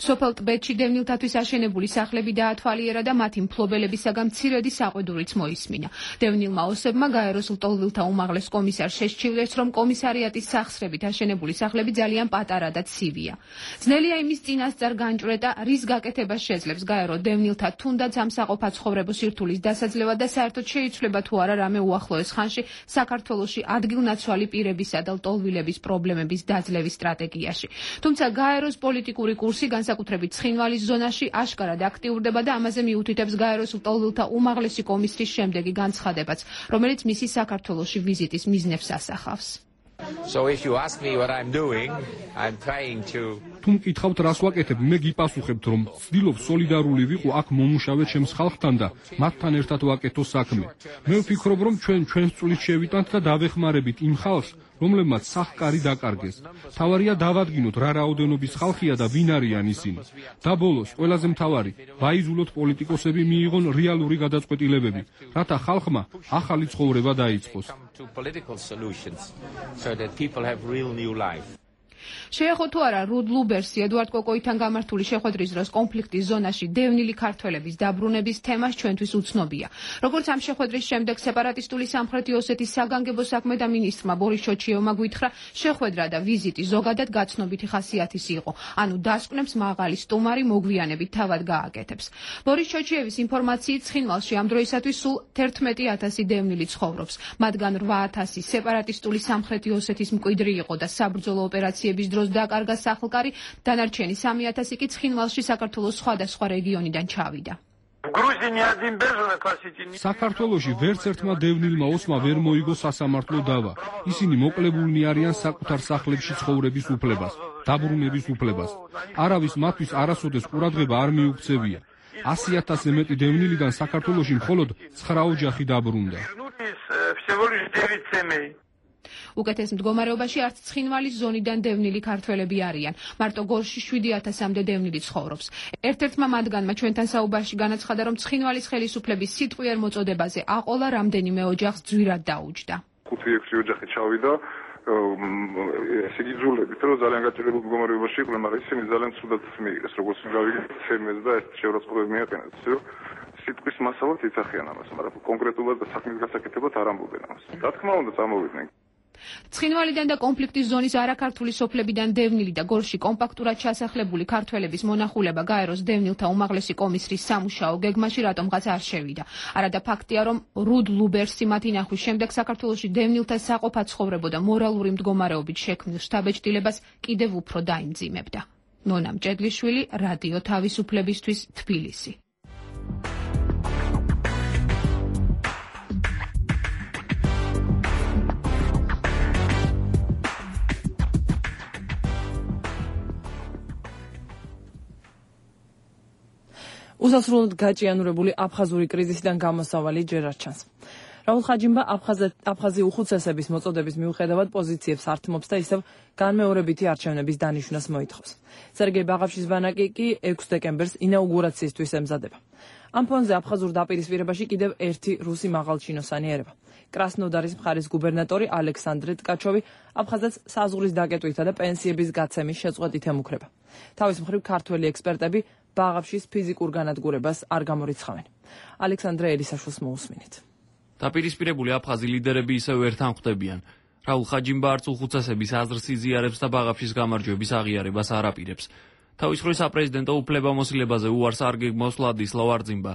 სოფელ ტბეთში დევნილთათვის აშენებული სახლები დაათვალიერა და მათი მფლობელებისაგან მცირედი საყვედურიც მოისმინა. დევნილმა ოსებმა გაეროს ლტოლვილთა უმაღლეს კომისარს შესჩივლეს, რომ კომისარიატის სახსრებით აშენებული სახლები ძალიან პატარა და ცივია. ძნელია იმის წინასწარ განჭვრეტა, რის გაკეთებას შეძლებს გაერო დევნილთა თუნდაც ამ საყოფა ცხოვრებო სირთულის დასაძლევა და საერთოდ შეიცვლება თუ არა რამე უახლოეს ხანში საქართველოში ადგილნაცვალი პირებისა და ლტოლვილების პრობლემების დაძლევის სტრატეგიაში. თუმცა გაეროს პოლიტიკური კურსი განსაკუთრებით ცხინვალის ზონაში აშკარად აქტიურდება და ამაზე მიუთითებს გაეროს ლტოლვილთა უმაღლესი კომისრის შემდეგი განცხადებაც, რომელიც მისი საქართველოში ვიზიტის მიზნებს ასახავს. So if you ask me what I'm doing, I'm trying to თუ მკითხავთ რას ვაკეთებ, მე გიპასუხებთ, რომ ვცდილობ სოლიდარული ვიყო აქ მომუშავე ჩემს ხალხთან და მათთან ერთად ვაკეთო საქმე. მე ვფიქრობ, რომ ჩვენ ჩვენს წვლით შევიტანთ და დავეხმარებით იმ ხალხს, რომლებმაც სახკარი დაკარგეს. თავარია დავადგინოთ რა რაოდენობის ხალხია და ვინ არიან ისინი. და ბოლოს, ყველაზე მთავარი, ვაიზულოთ პოლიტიკოსები მიიღონ რეალური გადაწყვეტილებები, რათა ხალხმა ახალი ცხოვრება დაიწყოს. შეეხო თუ არა რუდ ლუბერსი ედუარდ კოკოითან გამართული შეხვედრის დროს კონფლიქტის ზონაში დევნილი ქართველების დაბრუნების თემას ჩვენთვის უცნობია. როგორც ამ შეხვედრის შემდეგ სეპარატისტული სამხრეთი ოსეთის საგანგებო საქმეთა მინისტრმა ბორის ჩოჩიევმა გვითხრა, შეხვედრა და ვიზიტი ზოგადად გაცნობითი ხასიათის იყო, ანუ დასკვნებს მაღალი სტუმარი მოგვიანებით თავად გააკეთებს. ბორის ჩოჩიევის ინფორმაციით ცხინვალში ამ დროისათვის სულ თერთმეტი ათასი დევნილი ცხოვრობს, მათგან რვა ათასი სეპარატისტული სამხრეთი ოსეთის მკვიდრი იყო და საბრძოლო ოპერაციების დროს დაკარგა სახლკარი, დანარჩენი სამი ათასი კი ცხინვალში საქართველოს სხვადასხვა რეგიონიდან ჩავიდა. საქართველოში ვერც ერთმა დევნილმა ოსმა ვერ მოიგო სასამართლო დავა. ისინი მოკლებულნი არიან საკუთარ სახლებში ცხოვრების უფლებას, დაბრუნების უფლებას. არავის მათთვის არასოდეს ყურადღება არ მიუქცევია. ასი ათასზე მეტი დევნილიდან საქართველოში მხოლოდ ცხრა ოჯახი დაბრუნდა. უკეთეს მდგომარეობაში არც ცხინვალის ზონიდან დევნილი ქართველები არიან. მარტო გორში შვიდი ათასამდე დევნილი ცხოვრობს. ერთ-ერთმა მათგანმა ჩვენთან საუბარში განაცხადა, რომ ცხინვალის ხელისუფლების სიტყვიერ მოწოდებაზე აყოლა რამდენიმე ოჯახს ძვირად დაუჯდა. ხუთი ექვსი ოჯახი ჩავიდა, ესე იგი ძულებით, რომ ძალიან გაჭირებულ მდგომარეობაში იყვნენ, მაგრამ ისინი ძალიან ცუდად მიიღეს, როგორც გავიგეთ, ცემეს და ეს შეურაცხყოფები მიაყენეს, რომ სიტყვის მასალად იცახიან ამას, მაგრამ კონკრეტულად და საქმის გასაკეთებლად არ ამბობენ ამას. რა თქმა უნდა, წამოვიდნენ. ცხინვალიდან და კონფლიქტის ზონის არაქართული სოფლებიდან დევნილი და გორში კომპაქტურად ჩასახლებული ქართველების მონახულება გაეროს დევნილთა უმაღლესი კომისრის სამუშაო გეგმაში რატომღაც არ შევიდა. არადა ფაქტია, რომ რუდ ლუბერსი მათი ნახვის შემდეგ საქართველოში დევნილთა საყოფაცხოვრებო და მორალური მდგომარეობით შექმნილ შთაბეჭდილებას კიდევ უფრო დაიმძიმებდა. ნონა მჭედლიშვილი, რადიო თავისუფლებისთვის, თბილისი. უსასრულოდ გაჭიანურებული აფხაზური კრიზისიდან გამოსავალი ჯერ არ ჩანს. რაულ ხაჯიმბა აფხაზი უხუცესების მოწოდების მიუხედავად პოზიციებს ართმობს და ისევ განმეორებითი არჩევნების დანიშვნას მოითხოვს. სერგეი ბაღავშის ბანაკი კი ექვსი დეკემბერს ინაუგურაციისთვის ემზადება. ამ ფონზე აფხაზურ დაპირისპირებაში კიდევ ერთი რუსი მაღალჩინოსანი ერება. კრასნოდარის მხარის გუბერნატორი ალექსანდრე ტკაჩოვი აფხაზეთს საზღვრის დაკეტვითა და პენსიების გაცემის შეწყვეტით ემუქრება. თავის მხრივ ქართველი ექსპერტები ბაღავშის ფიზიკურ განადგურებას არ გამორიცხავენ. ალექსანდრე ელისაშვილს მოусმინეთ. დაპირისპირებული აფხაზი ლიდერები ისევ ერთთან ხვდებიან. რაულ ხაჯიმბა არც უხუცესების აზრს იზიარებს და ბაღავშის გამარჯვების აღიარებას არ აპირებს. თავის მხრივ საპრეზიდენტო უფლებამოსილებაზე უარს არ გეგმავს ვლადისლავ არძიმბა.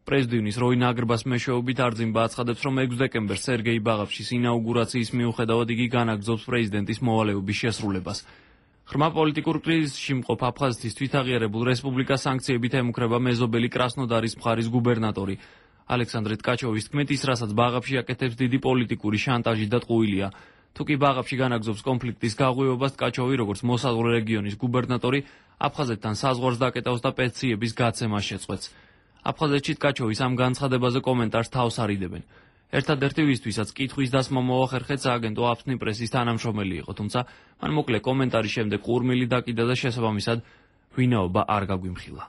პრეზიდენტის როინ აგრბას მეშვეობით არძიმბა აცხადებს, რომ ექვსი დეკემბერს სერგეი ბაღავშის ინაუგურაციის მიუხედავად იგი განაგრძობს პრეზიდენტის მოვალეობის შესრულებას. ღრმა პოლიტიკურ კრიზისში მყოფ აფხაზეთის თვითაღიარებულ რესპუბლიკას სანქციებით ემუქრება მეზობელი კრასნოდარის მხარის გუბერნატორი. ალექსანდრე ტკაჩოვის თქმით, ის რასაც ბაღავში აკეთებს დიდი პოლიტიკური შანტაჟი და ტყუილია. თუ კი ბაღავში განაგრძობს კონფლიქტის გაღვივებას, ტკაჩოვი როგორც მოსაზღვრე რეგიონის გუბერნატორი აფხაზეთთან საზღვარს დაკეტავს და პენსიების გაცემას შეწყვეტს. აფხაზეთში ტკაჩოვის ამ განცხადებაზე კომენტარს თავს არიდებენ. ერთადერთი ვისთვისაც კითხვის დასმა მოახერხეთ სააგენტო აფსნი პრესის თანამშრომელი იყო, თუმცა მან მოკლე კომენტარის შემდეგ ყურმილი დაკიდა და შესაბამისად ვინაობა არ გაგვიმხილა.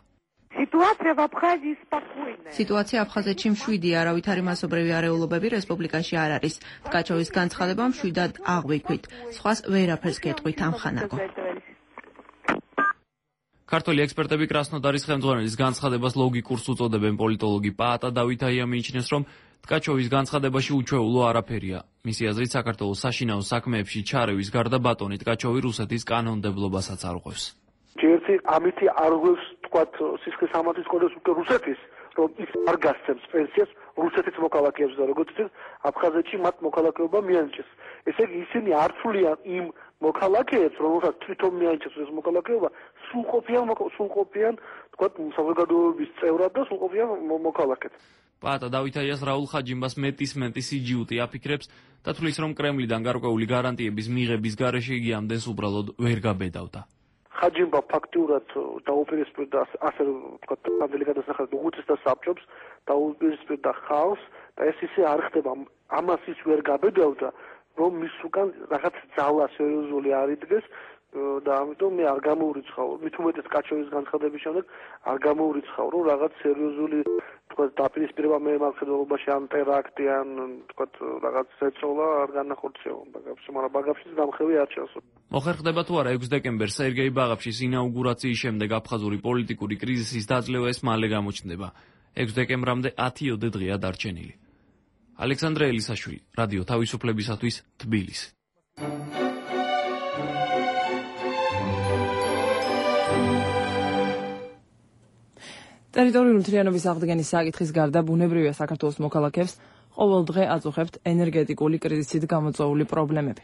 სიტუაცია აფხაზეთში მშვიდია, არავითარი მასობრივი არეულობები რესპუბლიკაში არ არის. ტკაჩოვის განცხადება მშვიდად აღვიქვით. სხვას ვერაფერს გეტყვით ამხანაგო. ქართველი ექსპერტები კრასნოდარის ხელმძღვანელის განცხადებას ლოგიკურს უწოდებენ. პოლიტოლოგი პაატა დავითაია მიიჩნევს, რომ ტკაჩოვის განცხადებაში უჩვეულო არაფერია. მისი აზრით, საქართველოს საშინაო საქმეებში ჩარევის გარდა ბატონი ტკაჩოვი რუსეთის კანონმდებლობასაც არ უყვევს. ერთი ამითი არ უყვევს თქვათ სისხლის სამართლის კოდექსს უკვე რუსეთის, რომ ის არ გასცემს პენსიას რუსეთის მოქალაქეებს და როგორც წესი აფხაზეთში მათ მოქალაქეობა მიანიჭეს. ესე იგი ისინი არ ცვლიან იმ მოქალაქეებს, რომელსაც თვითონ მიანიჭეს ეს მოქალაქეობა, სრულყოფიან სრულყოფიან თქვათ საზოგადოების წევრად და სრულყოფიან მოქალაქედ. პაატა დავითაიას რაულ ხაჯიმბას მეტისმეტი სიჯიუტი აფიქრებს და თვლის, რომ კრემლიდან გარკვეული გარანტიების მიღების გარეშე იგი ამდენს უბრალოდ ვერ გაბედავდა. ხაჯიმბა ფაქტიურად დაუპირისპირდა ასე ვთქვათ ამდელი გადასახადად უღუცეს და საბჭობს დაუპირისპირდა ხალხს და ეს ისე არ ხდება ამას ის ვერ გაბედავდა რომ მის უკან რაღაც ძალა სერიოზული არ იდგეს და ამიტომ მე არ გამოურიცხავ მით უმეტეს კაჩოვის განცხადების შემდეგ არ გამოურიცხავ რომ რაღაც სერიოზული თქვათ დაპირისპირება მე მართლობაში ან ტერაქტი ან თქვათ რაღაც ზეწოლა არ განახორციელა ბაგაფში მაგრამ ბაგაფშიც დამხევი არ ჩანს მოხერხდება თუ არა ექვსი დეკემბერს სერგეი ბაღაფშის ინაუგურაციის შემდეგ აფხაზური პოლიტიკური კრიზისის დაძლევა ეს მალე გამოჩნდება ექვსი დეკემბრამდე ათი ოდე დღეა დარჩენილი ალექსანდრე ელისაშვილი რადიო თავისუფლებისათვის თბილისი ტერიტორიული მთლიანობის აღდგენის საკითხის გარდა ბუნებრივია საქართველოს მოქალაქეებს ყოველ დღე აწუხებთ ენერგეტიკული კრიზისით გამოწვეული პრობლემები.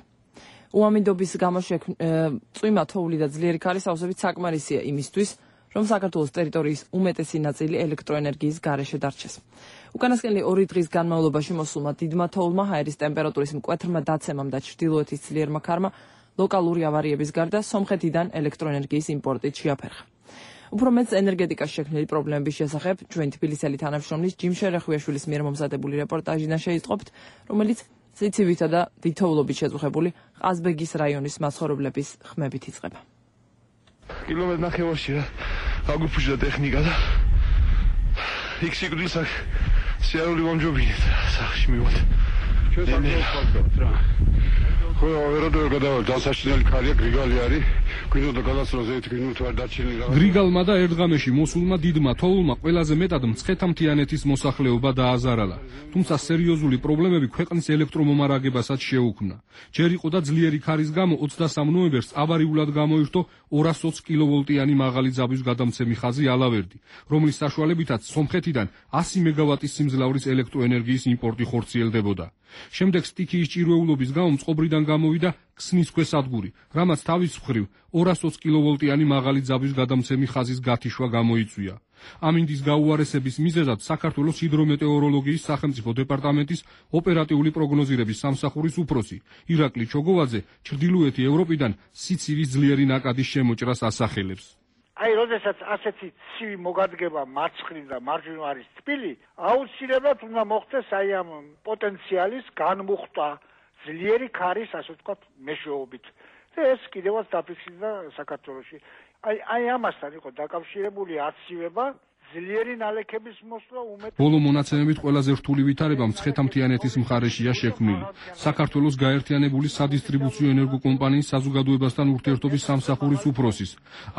უამინდობის გამო წვიმა თოვლი და ძლიერი ქარის ავსებით საკმარისია იმისთვის, რომ საქართველოს ტერიტორიის უმეტესი ნაწილი ელექტროენერგიის გარეშე დარჩეს. უკანასკნელი ორი დღის განმავლობაში მოსულმა დიდმა თოვლმა, ჰაერის ტემპერატურის მკვეთრმა დაცემამ და ჩრდილოეთის ძლიერმა ქარმა ლოკალური ავარიების გარდა სომხეთიდან ელექტროენერგიის იმპორტით შეაფერხა. უფრო მეც ენერგეტიკას შექმნილი პრობლემების შესახებ ჩვენ თბილისელი თანამშრომლის ჯიმ შერეხუიაშვილის მიერ მომზადებული რეპორტაჟიდან შეისწყობთ, რომელიც სიცივითა და ვითოვლობით შეწუხებული ყაზბეგის რაიონის მაცხოვრებლების ხმებით იწყება. კილომეტრ ნახევარში რა აგუფუშდა ტექნიკა და იქ სიკვდილს აქ სიარული მომჯობინეთ სახში მივოთ. ჩვენ საქართველოს რა ხო ვერადო გადავალ დასაშინელი ქარია გრიგალი არის გვინდოდა გადასვლაზე ერთი მინუტი ვარ დარჩენილი რაღაც გრიგალმა და ერთღამეში მოსულმა დიდმა თოვლმა ყველაზე მეტად მცხეთა-მთიანეთის მოსახლეობა დააზარალა თუმცა სერიოზული პრობლემები ქვეყნის ელექტრომომარაგებასაც შეუქმნა ჯერ იყო და ძლიერი ქარის გამო ოცდასამ ნოემბერს ავარიულად გამოირთო ორას ოცი კილოვოლტიანი მაღალი ძაბვის გადამცემი ხაზი ალავერდი რომლის საშუალებითაც სომხეთიდან ასი მეგავატის სიმძლავრის ელექტროენერგიის იმპორტი ხორციელდებოდა შემდეგ სტიქიის ჭირვეულობის გამო მწყობრიდან გამოვიდა ქსნის ქვესადგური, რამაც თავის მხრივ ორას ოცი კილოვოლტიანი მაღალი ძაბვის გადამცემი ხაზის გათიშვა გამოიწვია. ამინდის გაუარესების მიზეზად საქართველოს ჰიდრომეტეოროლოგიის სახელმწიფო დეპარტამენტის ოპერატიული პროგნოზირების სამსახურის უფროსი ირაკლი ჩოგოვაძე ჩრდილოეთი ევროპიდან სიცივის ძლიერი ნაკადის შემოჭრას ასახელებს. აი, როდესაც ასეთი ცივი მოგადგება მარცხნივ და მარჯვნივ არის თბილი, აუცილებლად უნდა მოხდეს აი ამ პოტენციალის განმუხტვა ძლიერი ქარის, ასე ვთქვათ, მეშვეობით. და ეს კიდევაც დაფიქსირდა საქართველოში. აი, აი ამასთან იყო დაკავშირებული აცივება, ძლიერი ნალექების მოსვლა უმეტეს. ბოლო მონაცემებით ყველაზე რთული ვითარება მცხეთა-მთიანეთის მხარეშია შექმნილი. საქართველოს გაერთიანებული სადისტრიბუციო ენერგოკომპანიის საზოგადოებასთან ურთიერთობის სამსახურის უფროსის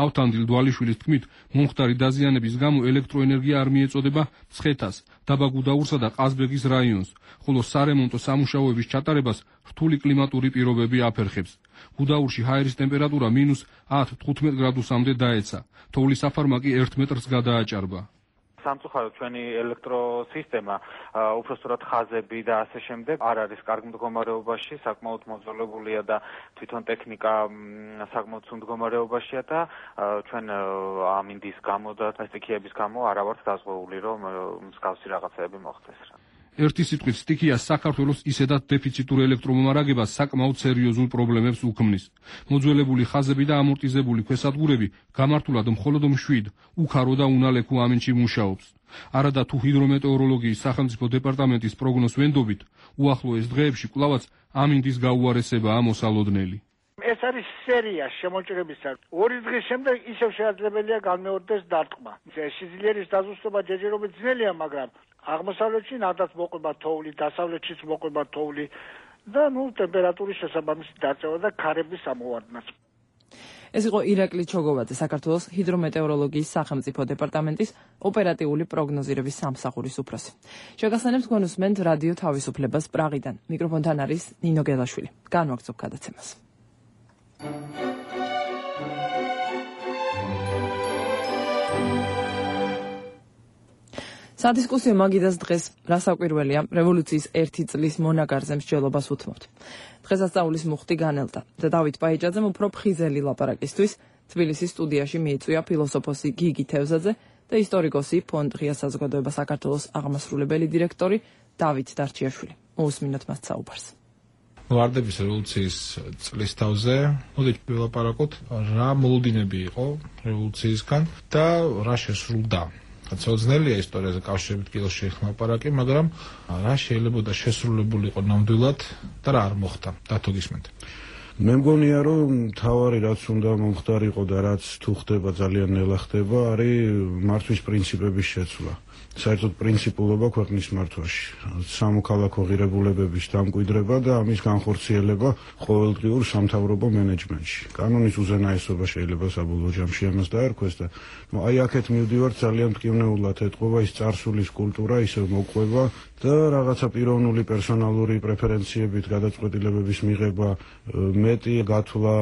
ავთანდილ დვალიშვილის თქმით, მომხდარი დაზიანების გამო ელექტროენერგია არ მიეწოდება მცხეთას, დაბა გუდაურსა და ყაზბეგის რაიონს, ხოლო სარემონტო სამუშაოების ჩატარებას რთული კლიმატური პირობები აფერხებს. გუდაურში ჰაერის ტემპერატურა მინუს ათ თხუთმეტ გრადუსამდე დაეცა. თოვლის საფარმაკი ერთ მეტრს გადააჭარბა. სამწუხაროდ ჩვენი ელექტროსისტემა, უпростоრად ხაზები და ასე შემდეგ არ არის კარგ მდგომარეობაში, საკმაოდ მოძველებულია და თვითონ ტექნიკა საკმაოდ სულ მდგომარეობაშია და ჩვენ ამინდის გამო და სტიქიების გამო არა ვართ დაზღვეული, რომ მსგავსი რაღაცეები მოხდეს. ერთი სიტყვით სტიქია საქართველოს ისედაც დეფიციტურ ელექტრომომარაგებას საკმაოდ სერიოზულ პრობლემებს უქმნის. მოძველებული ხაზები და ამორტიზებული ქვესადგურები გამართულად მხოლოდ მშვიდ, უქარო და უნალექო ამინდში მუშაობს. არადა თუ ჰიდრომეტეოროლოგიის სახელმწიფო დეპარტამენტის პროგნოზ ვენდობით, უახლოეს დღეებში კვლავაც ამინდის გაუარესებაა მოსალოდნელი. ეს არის სერია შემოჭრებისა. ორი დღის შემდეგ ისევ შეაძლებელია განმეორდეს დარტყმა. სიძლიერის დაზუსტება ჯერჯერობით ძნელია, მაგრამ აღმოსავლეთში ნადაც მოყვება თოვლი, დასავლეთშიც მოყვება თოვლი და ნუ ტემპერატურის შესაბამისი დაწევა და ქარების ამოვარდნაც. ეს იყო ირაკლი ჩოგოვაძე, საქართველოს ჰიდრომეტეოროლოგიის სახელმწიფო დეპარტამენტის ოპერატიული პროგნოზირების სამსახურის უფროსი. შეგახსენებთ თქვენ უსმენთ რადიო თავისუფლებას პრაღიდან. მიკროფონთან არის ნინო გელაშვილი. განვაგრძობ გადაცემას. სადისკუსიო მაგიდას დღეს რა საკვირველია რევოლუციის ერთი წლის მონაკარზე მსჯელობას უთმობთ. დღესასწაულის მუხტი განელდა და დავით პაიჭაძემ უფრო ფხიზელი ლაპარაკისთვის თბილისის სტუდიაში მიიწვია ფილოსოფოსი გიგი თევზაძე და ისტორიკოსი ფონდ ღია საზოგადოება საქართველოს აღმასრულებელი დირექტორი დავით დარჩიაშვილი. მოусმინოთ მათ საუბარს. ვარდების რევოლუციის წლის თავზე მოდით ვილაპარაკოთ რა მოლოდინები იყო რევოლუციისგან და რა შესრულდა. Ცოცხლელია ისტორიაზე კავშირებით კიდევ შეეხმაპარაკი, მაგრამ რა შეიძლება შესრულებული იყო ნამდვილად და რა არ მოხდა. დათო გისმენთ. მე მგონია რომ თავარი რაც უნდა მომხდარიყო და რაც თუ ხდება ძალიან ნელა ხდება არის მართვის პრინციპების შეცვლა. საერთოდ პრინციპულობა ქვეყნის მართვაში, სამოქალაქო ღირებულებების დამკვიდრება და ამის განხორციელება ყოველდღიურ სამთავრობო მენეჯმენტში. კანონის უზენაესობა შეიძლება საბოლოო ჯამში ამას დაერქვეს და აი აქეთ მივდივართ ძალიან მტკივნეულად ეთყობა ის წარსულის კულტურა ისევ მოყვება და რაღაცა პიროვნული პერსონალური პრეფერენციებით გადაწყვეტილებების მიღება, მეტი გათვლა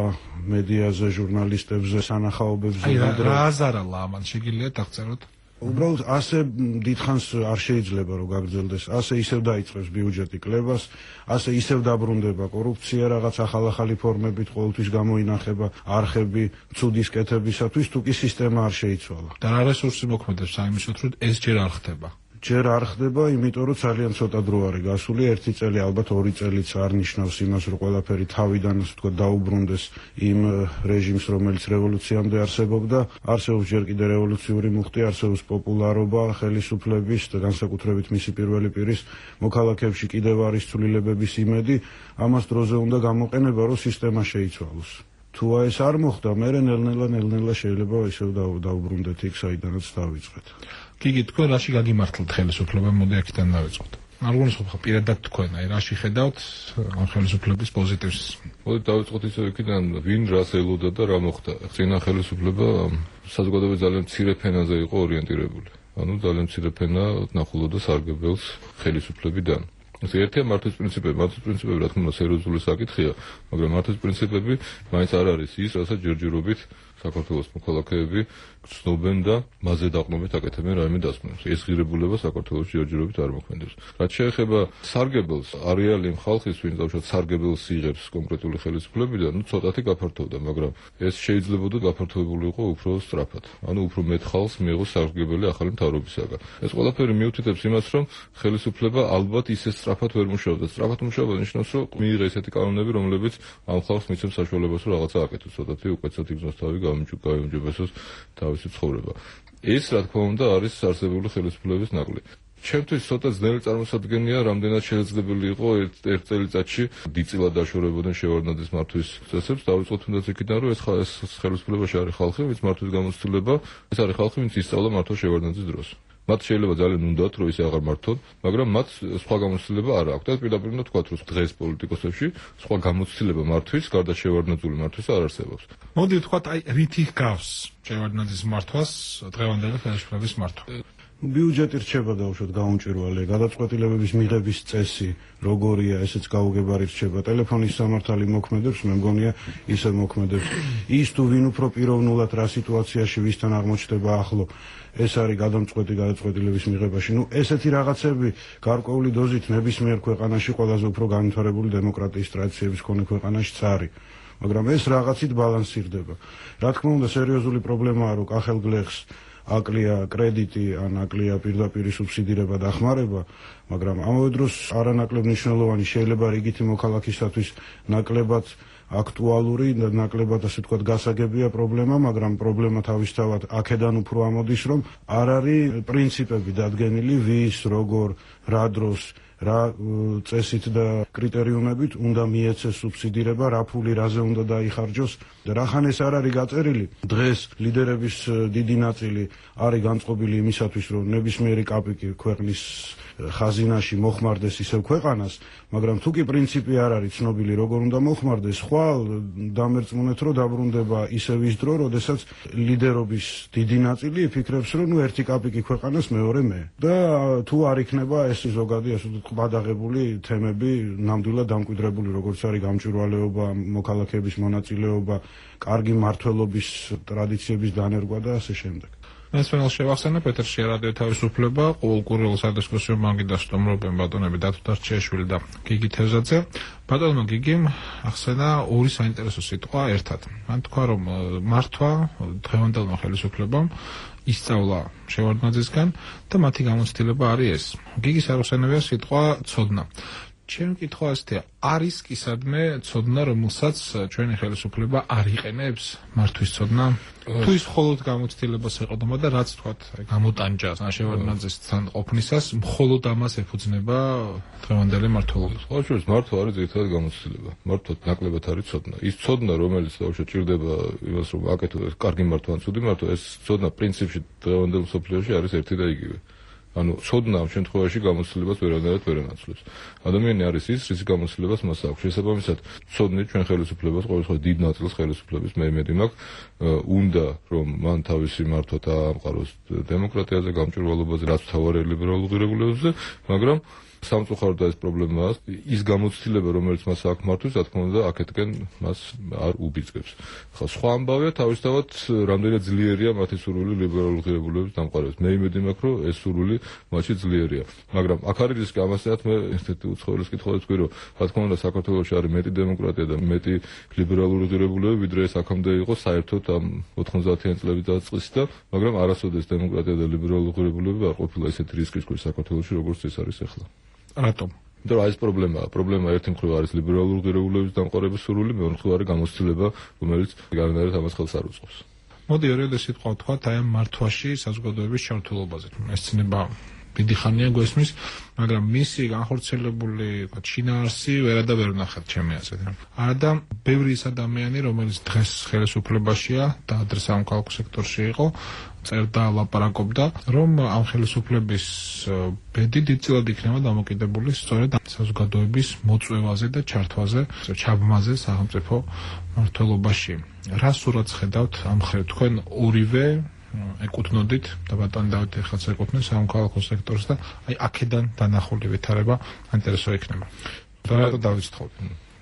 მედიაზე, ჟურნალისტებზე, სანახაობებზე. აი რა აზარალა ამან შეგიძლიათ აღწეროთ? უბრალოდ ასე დიდხანს არ შეიძლება რომ გაგრძელდეს, ასე ისევ დაიწყებს ბიუჯეტი კლებას, ასე ისევ დაბრუნდება კორუფცია რაღაც ახალ-ახალი ფორმებით ყოველთვის გამოინახება არხები ცუდის კეთებისათვის, თუ კი სისტემა არ შეიცვალა. და რა რესურსი მოქმედებს საიმისოთ, რომ ეს ჯერ არ ხდება? ჯერ არ ხდება, იმიტომ რომ ძალიან ცოტა დრო არის გასული, ერთი წელი, ალბათ ორი წელიც არ ნიშნავს იმას, რომ ყველაფერი თავიდან ასე ვთქვათ დაუბრუნდეს იმ რეჟიმს, რომელიც რევოლუციამდე არსებობდა. არსებობს ჯერ კიდევ რევოლუციური მუხტი, არსებობს პოპულარობა ხელისუფლების და განსაკუთრებით მისი პირველი პირის მოქალაქეებში კიდევ არის ცვლილებების იმედი, ამას დროზე უნდა გამოყენება, რომ სისტემა შეიცვალოს. თუ ეს არ მოხდა, მე ნელ-ნელა ნელ-ნელა შეიძლება ისევ დაუბრუნდეთ იქ, საიდანაც დავიწყეთ. გიგი, თქვენ რაში გაგიმართლეთ ხელისუფლება, მოდი აქედან დავიწყოთ. არ გონიცხობ ხა პირადად თქვენ, აი რაში ხედავთ ამ ხელისუფლების პოზიტივს? მოდი დავიწყოთ ისე იქიდან, ვინ რას ელოდა და რა მოხდა. წინა ხელისუფლება საზოგადოების ძალიან მცირე ფენაზე იყო ორიენტირებული. ანუ ძალიან მცირე ფენა ნახულობდა სარგებელს ხელისუფლებიდან. ეს ერთია მართვის პრინციპები, მართვის პრინციპები რა თქმა უნდა სერიოზული საკითხია, მაგრამ მართვის პრინციპები მაინც არ არის ის, რასაც ჯერჯერობით საქართველოს მოქალაქეები გრძნობენ და მასზე დაყრდნობით აკეთებენ რაიმე დასკვნებს. ეს ღირებულება საქართველოს ჯერჯერობით არ მოქმედებს. რაც შეეხება სარგებელს, არეალი ხალხის, ვინც დავუშვათ სარგებელს იღებს კონკრეტული ხელისუფლებიდან, ну ცოტათი გაფართოვდა, მაგრამ ეს შეიძლებოდა გაფართოებული იყო უფრო სწრაფად. ანუ უფრო მეტ ხალხს მიიღოს სარგებელი ახალი მთავრობისაგან. ეს ყველაფერი მიუთითებს იმას, რომ ხელისუფლება ალბათ ისე სწრაფად ვერ მუშაობდა. სწრაფად მუშაობა ნიშნავს, რომ მიიღე ესეთი კანონები, რომლებიც ამ ხალხს მიცემს საშუალებას, რომ რაღაცა აკეთოს, ცოტათი უკეთესად იგრძნოს თავი, გამიჯობესოს თავისი ცხოვრება. ეს რა თქმა უნდა არის არსებული ხელისუფლების ნაკლი. ჩემთვის ცოტა ძნელი წარმოსადგენია, რამდენად შესაძლებელი იყო ერთ წელიწადში დიდწილად დაშორებოდნენ შევარდნაძის მართვის წესებს. დავიწყოთ თუნდაც იქიდან, რომ ეს ხელისუფლებაში არის ხალხი, ვინც მართვის გამოცდილება, ეს არის ხალხი, ვინც ისწავლა მართვა შევარდნაძის დროს. მათ შეიძლება ძალიან უნდათ, რომ ისე აღარ მართონ, მაგრამ მათ სხვა გამოცდილება არ აქვს. და პირდაპირ უნდა თქვათ, რომ დღეს პოლიტიკოსებში სხვა გამოცდილება მართვის, გარდა შევარდნაძული მართვის არ არსებობს. მოდი ვთქვათ, აი რითი გავს შევარდნაძის მართვას დღევანდელი ხელისუფლების მართვა. ბიუჯეტი რჩება დაუშვათ გაუმჭვირვალე, გადაწყვეტილებების მიღების წესი როგორია, ესეც გაუგებარი რჩება. ტელეფონის სამართალი მოქმედებს, მე მგონია ისე მოქმედებს. ის თუ ვინ უფრო პიროვნულად რა სიტუაციაში ვისთან აღმოჩნდება ახლო, ეს არის გადამწყვეტი გადაწყვეტილების მიღებაში. ნუ ესეთი რაღაცები გარკვეული დოზით ნებისმიერ ქვეყანაში ყველაზე უფრო განვითარებული დემოკრატიის ტრადიციების მქონე ქვეყანაშიც არის. მაგრამ ეს რაღაცით ბალანსირდება. რა თქმა უნდა, სერიოზული პრობლემაა, რომ კახელგლეხს აკლია კრედიტი, ან აკლია პირდაპირი სუბსიდირება და ხმარება, მაგრამ ამავე დროს არანაკლებ მნიშვნელოვანი შეიძლება რიგითი მოქალაქისათვის ნაკლებად აქტუალური და ნაკლებად ასე ვთქვათ გასაგებია პრობლემა, მაგრამ პრობლემა თავისთავად აქედან უფრო ამოდის, რომ არ არის პრინციპები დადგენილი, ვის, როგორ, რა დროს, რა წესით და კრიტერიუმებით უნდა მიეცეს სუბსიდირება, რა ფული რაზე უნდა დაიხარჯოს და რახან ეს არ არის გაწერილი. დღეს ლიდერების დიდი ნაწილი არის განწყობილი იმისათვის, რომ ნებისმიერი კაპიკი ქვეყნის ხაზინაში მოხმარდეს ისევ ქვეყანას, მაგრამ თუ კი პრინციპი არ არის ცნობილი, როგორ უნდა მოხმარდეს, ხვალ დამერწმუნეთ, რომ დაბრუნდება ისევ ის დრო, როდესაც ლიდერობის დიდი ნაწილი იფიქრებს, რომ ნუ ერთი კაპიკი ქვეყანას, მეორე მე. და თუ არ იქნება ეს ზოგადი ასე ყბადაღებული თემები ნამდვილად დამკვიდრებული, როგორც არის გამჭვირვალეობა, მოქალაქეების მონაწილეობა, კარგი მმართველობის ტრადიციების დანერგვა და ასე შემდეგ. ეს ფენალ შევახსენე პეტრში რადიო თავისუფლება, ყოველკვირეულ სადისკუსიო მაგიდას სტუმრობენ ბატონები დათო დარჩიაშვილი და გიგი თევზაძე. ბატონმა გიგიმ ახსენა ორი საინტერესო სიტყვა ერთად. მან თქვა, რომ მართვა დღევანდელმა ხელისუფლებამ ისწავლა შევარდნაძისგან და მათი გამოცდილება არის ეს. გიგის არ უსენებია სიტყვა ცოდნა. ჩემი კითხვა ასეთია, არის კისადმე ცოდნა, რომელსაც ჩვენი ხელისუფლება არ იყენებს მართვის ცოდნა? თუ ის მხოლოდ გამოცდილებას ეყოდება და რაც თქვათ, გამოტანჯას, შევარდნაძესთან ყოფნისას, მხოლოდ ამას ეფუძნება დღევანდელი მმართველობა. სხვა შორის მართვა არის ერთად გამოცდილება. მართვა ნაკლებად არის ცოდნა. ის ცოდნა, რომელიც ბავშვი ჭირდება იმას, რომ აკეთო კარგი მართვა ან ცუდი მართვა, ეს ცოდნა პრინციპში დღევანდელ მსოფლიოში არის ერთი და იგივე. ანუ ცოდნა ამ შემთხვევაში გამოცდილებას ვერანაირად ვერ ანაცვლებს. ადამიანი არის ის, რის გამოცდილებას მას აქვს. შესაბამისად, ცოდნით ჩვენ ხელისუფლებას, ყოველ შემთხვევაში დიდ ნაწილს ხელისუფლების მე იმედი მაქვს, უნდა რომ მან თავისი მართვა დაამყაროს დემოკრატიაზე, გამჭვირვალობაზე, რაც მთავარი ლიბერალურ ღირებულებებზე, მაგრამ სამწუხაროდ ეს პრობლემაა, ის გამოცდილება, რომელიც მას აქვს მართვის, რა თქმა უნდა, აქეთკენ მას არ უბიძგებს. ხა სხვა ამბავია, თავისთავად რამდენად ძლიერია მათი სურვილი ლიბერალურ ღირებულებების დამყარებას. მე იმედი მაქვს, რომ ეს სურვილი მათში ძლიერია. მაგრამ აქ არის რისკი, ამასთანავე მე ესეთი უცხოელის კითხვაც ვქვი, რომ რა თქმა უნდა, საქართველოში არის მეტი დემოკრატია და მეტი ლიბერალური ღირებულებები, ვიდრე ეს აქამდე იყო საერთოდ ამ ოთხმოცდაათიანი წლების დაწყისით, მაგრამ არასოდეს დემოკრატია და ლიბერალური ღირებულებები არ ყოფილა ესეთი რისკის ქვეშ საქართველოში, როგორც ეს არის ახლა. რატომ? იმიტომ რომ ეს პრობლემაა. პრობლემა ერთი მხრივ არის ლიბერალური ღირებულების დამყარების სურვილი, მეორე მხრივ არის გამოცდილება, რომელიც განაერთ ამას ხელს არ უწყობს. მოდი ერთხელ სიტყვა ვთქვათ აი ამ მართვაში საზოგადოების ჩართულობაზე. ეს ცნება დიდი ხანია გვესმის, მაგრამ მისი განხორციელებული შინაარსი ვერადა ვერ ვნახეთ ჩემი აზრით. არადა ბევრი ის ადამიანი, რომელიც დღეს ხელისუფლებაშია და ადრე სამოქალაქო სექტორში იყო, წერდა, ლაპარაკობდა, რომ ამ ხელისუფლების ბედი დიდწილად იქნება დამოკიდებული სწორედ საზოგადოების მოწვევაზე და ჩართვაზე, ჩაბმაზე სახელმწიფო მმართველობაში. რა სურათს ხედავთ ამ ხელით? თქვენ ორივე ეკუთვნოდით და ბატონ დავით ეხლაც ეკუთვნით სამოქალაქო სექტორს და აი აქედან დანახული ვითარება აინტერესო იქნება. და დავიწყოთ.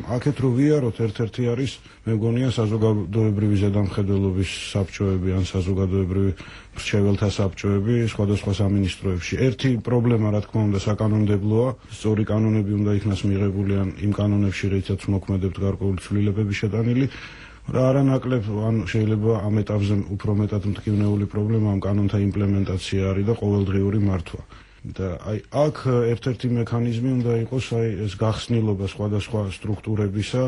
აქეთ რო ვიაროთ, ერთ-ერთი არის, მე მგონია საზოგადოებრივი ზედამხედველობის საბჭოები ან საზოგადოებრივი მრჩეველთა საბჭოები სხვადასხვა სამინისტროებში. ერთი პრობლემა, რა თქმა უნდა, საკანონმდებლოა, სწორი კანონები უნდა იქნას მიღებული ან იმ კანონებში, რითაც მოქმედებთ გარკვეული ცვლილებები შეტანილი. რა არანაკლებ, ან შეიძლება ამ ეტაპზე უფრო მეტად მტკივნეული პრობლემა ამ კანონთა იმპლემენტაცია არის და ყოველდღიური მართვა. და აი აქ ერთ-ერთი მექანიზმი უნდა იყოს აი ეს გახსნილობა სხვადასხვა სტრუქტურებისა,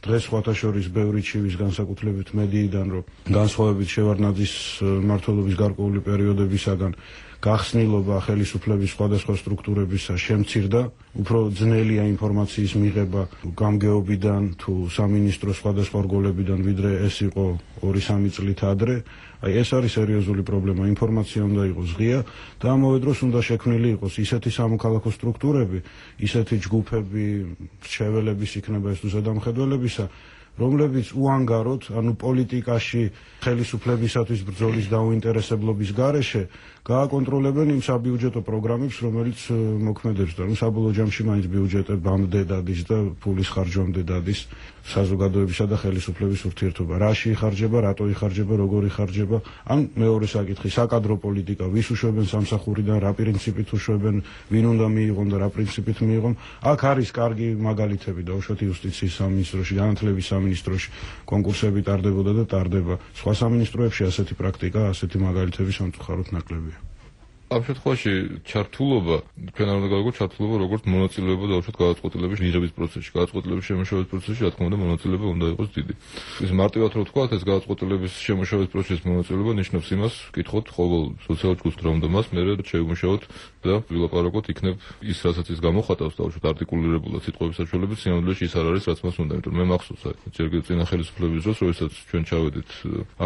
დღეს სხვათა შორის ბევრი ჩივის განსაკუთრებით მედიიდან, რომ განსხვავებით შევარდნაძის მმართველობის გარკვეული პერიოდებისაგან გახსნილობა ხელისუფლების სხვადასხვა სტრუქტურებისა შემცირდა, უფრო ძნელია ინფორმაციის მიღება გამგეობიდან თუ სამინისტროს სხვადასხვა რგოლებიდან, ვიდრე ეს იყო ორი სამი წლით ადრე. აი ეს არის სერიოზული პრობლემა, ინფორმაცია უნდა იყოს ღია და ამავე დროს უნდა შექმნილი იყოს ისეთი სამოქალაქო სტრუქტურები, ისეთი ჯგუფები, მრჩეველების იქნება ეს თუ ზედამხედველებისა, რომლებიც უანგაროდ, ანუ პოლიტიკაში ხელისუფლებისათვის ბრძოლის დაუინტერესებლობის გარეშე გააკონტროლებენ იმ საბიუჯეტო პროგრამებს, რომელიც მოქმედებს და საბოლოო ჯამში მაინც ბიუჯეტებამდე დადის და ფულის ხარჯვამდე დადის საზოგადოებისა და ხელისუფლების ურთიერთობა. რაში იხარჯება, რატო იხარჯება, როგორ იხარჯება, ან მეორე საკითხი, საკადრო პოლიტიკა, ვის უშვებენ სამსახურიდან, რა პრინციპით უშვებენ, ვინ უნდა მიიღონ და რა პრინციპით მიიღონ. აქ არის კარგი მაგალითები და უშუალოდ იუსტიციის სამინისტროში, განათლების სამინისტროში კონკურსები ტარდებოდა და ტარდება. სხვა სამინისტროებში ასეთი პრაქტიკა, ასეთი მაგალითები სამწუხაროდ ნაკლებია. ამ შემთხვევაში ჩართულობა, ჩვენ არ უნდა გავიგოთ ჩართულობა როგორც მონაწილეობა და უშუალოდ გადაწყვეტილების მიღების პროცესში, გადაწყვეტილების შემუშავების პროცესში, რა თქმა უნდა, მონაწილეობა უნდა იყოს დიდი. ეს მარტივად რო ვთქვათ, ეს გადაწყვეტილების შემუშავების პროცესის მონაწილეობა ნიშნავს იმას, ვკითხოთ ყოველ სოციალურ ჯგუფს რომ და მას მე შევიმუშაოთ და ვილაპარაკოთ, იქნებ ის რასაც ის გამოხატავს და უშუალოდ არტიკულირებულად სიტყვების საშუალებით, სინამდვილეში ის არ არის, რაც მას უნდა, იმიტომ რომ მე მახსოვს აი, ჯერ წინა ხელისუფლების დროს, როდესაც ჩვენ ჩავედით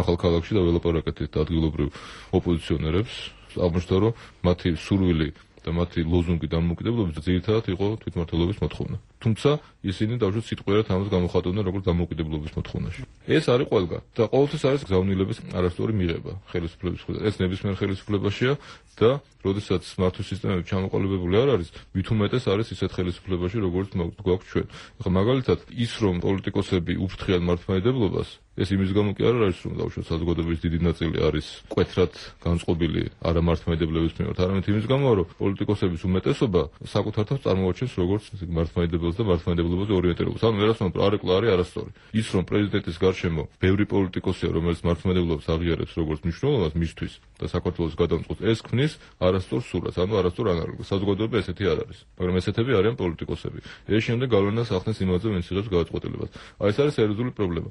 ახალ ქალაქში და ველაპარაკეთ ადგილობრივ ოპოზიციონერებს, აღმოჩნდა, რომ მათი სურვილი და მათი ლოზუნგი დამოუკიდებლობის ძირითადად იყო თვითმმართველობის მოთხოვნა. თუმცა ისინი დავუშვათ სიტყვიერად ამას გამოხატავდნენ როგორც დამოუკიდებლობის მოთხოვნაში. ეს არის ყველგან და ყოველთვის არის გზავნილების არასწორი მიღება ხელისუფლების მხრიდან. ეს ნებისმიერ ხელისუფლებაშია და როდესაც მართვის სისტემები ჩამოყალიბებული არ არის, მით უმეტეს არის ისეთ ხელისუფლებაში, როგორც გვაქვს ჩვენ. ახლა მაგალითად, ის რომ პოლიტიკოსები უფრთხიან მართლმადიდებლობას, ეს იმის გამო კი არ არის, რომ დავუშვათ საზოგადოების დიდი ნაწილი არის მკვეთრად განწყობილი არა მართლმადიდებლების მიმართ, არამედ იმის გამო, რომ პოლიტიკოსების უმეტესობა საკუთარ თავს წარმოაჩენს როგორც მართლმადიდებელ და მართლმადიდებლობაზე ორიენტირებას. ანუ ვერასდროს არეკლა არის არასწორი. ის რომ პრეზიდენტის გარშემო ბევრი პოლიტიკოსია, რომელიც მართლმადიდებლობას აღიარებს როგორც მნიშვნელობას მისთვის და საქართველოს გადამწყობს, ეს ქმნის არასწორ სურათს, ანუ არასწორ ანალოგიას. საზოგადოება ესეთი არ არის, მაგრამ ესეთები არიან პოლიტიკოსები. ეს შემდეგ გავლენას ახდენს იმაზე, ვინც იღებს გადაწყვეტილებას. აი ეს არის სერიოზული პრობლემა.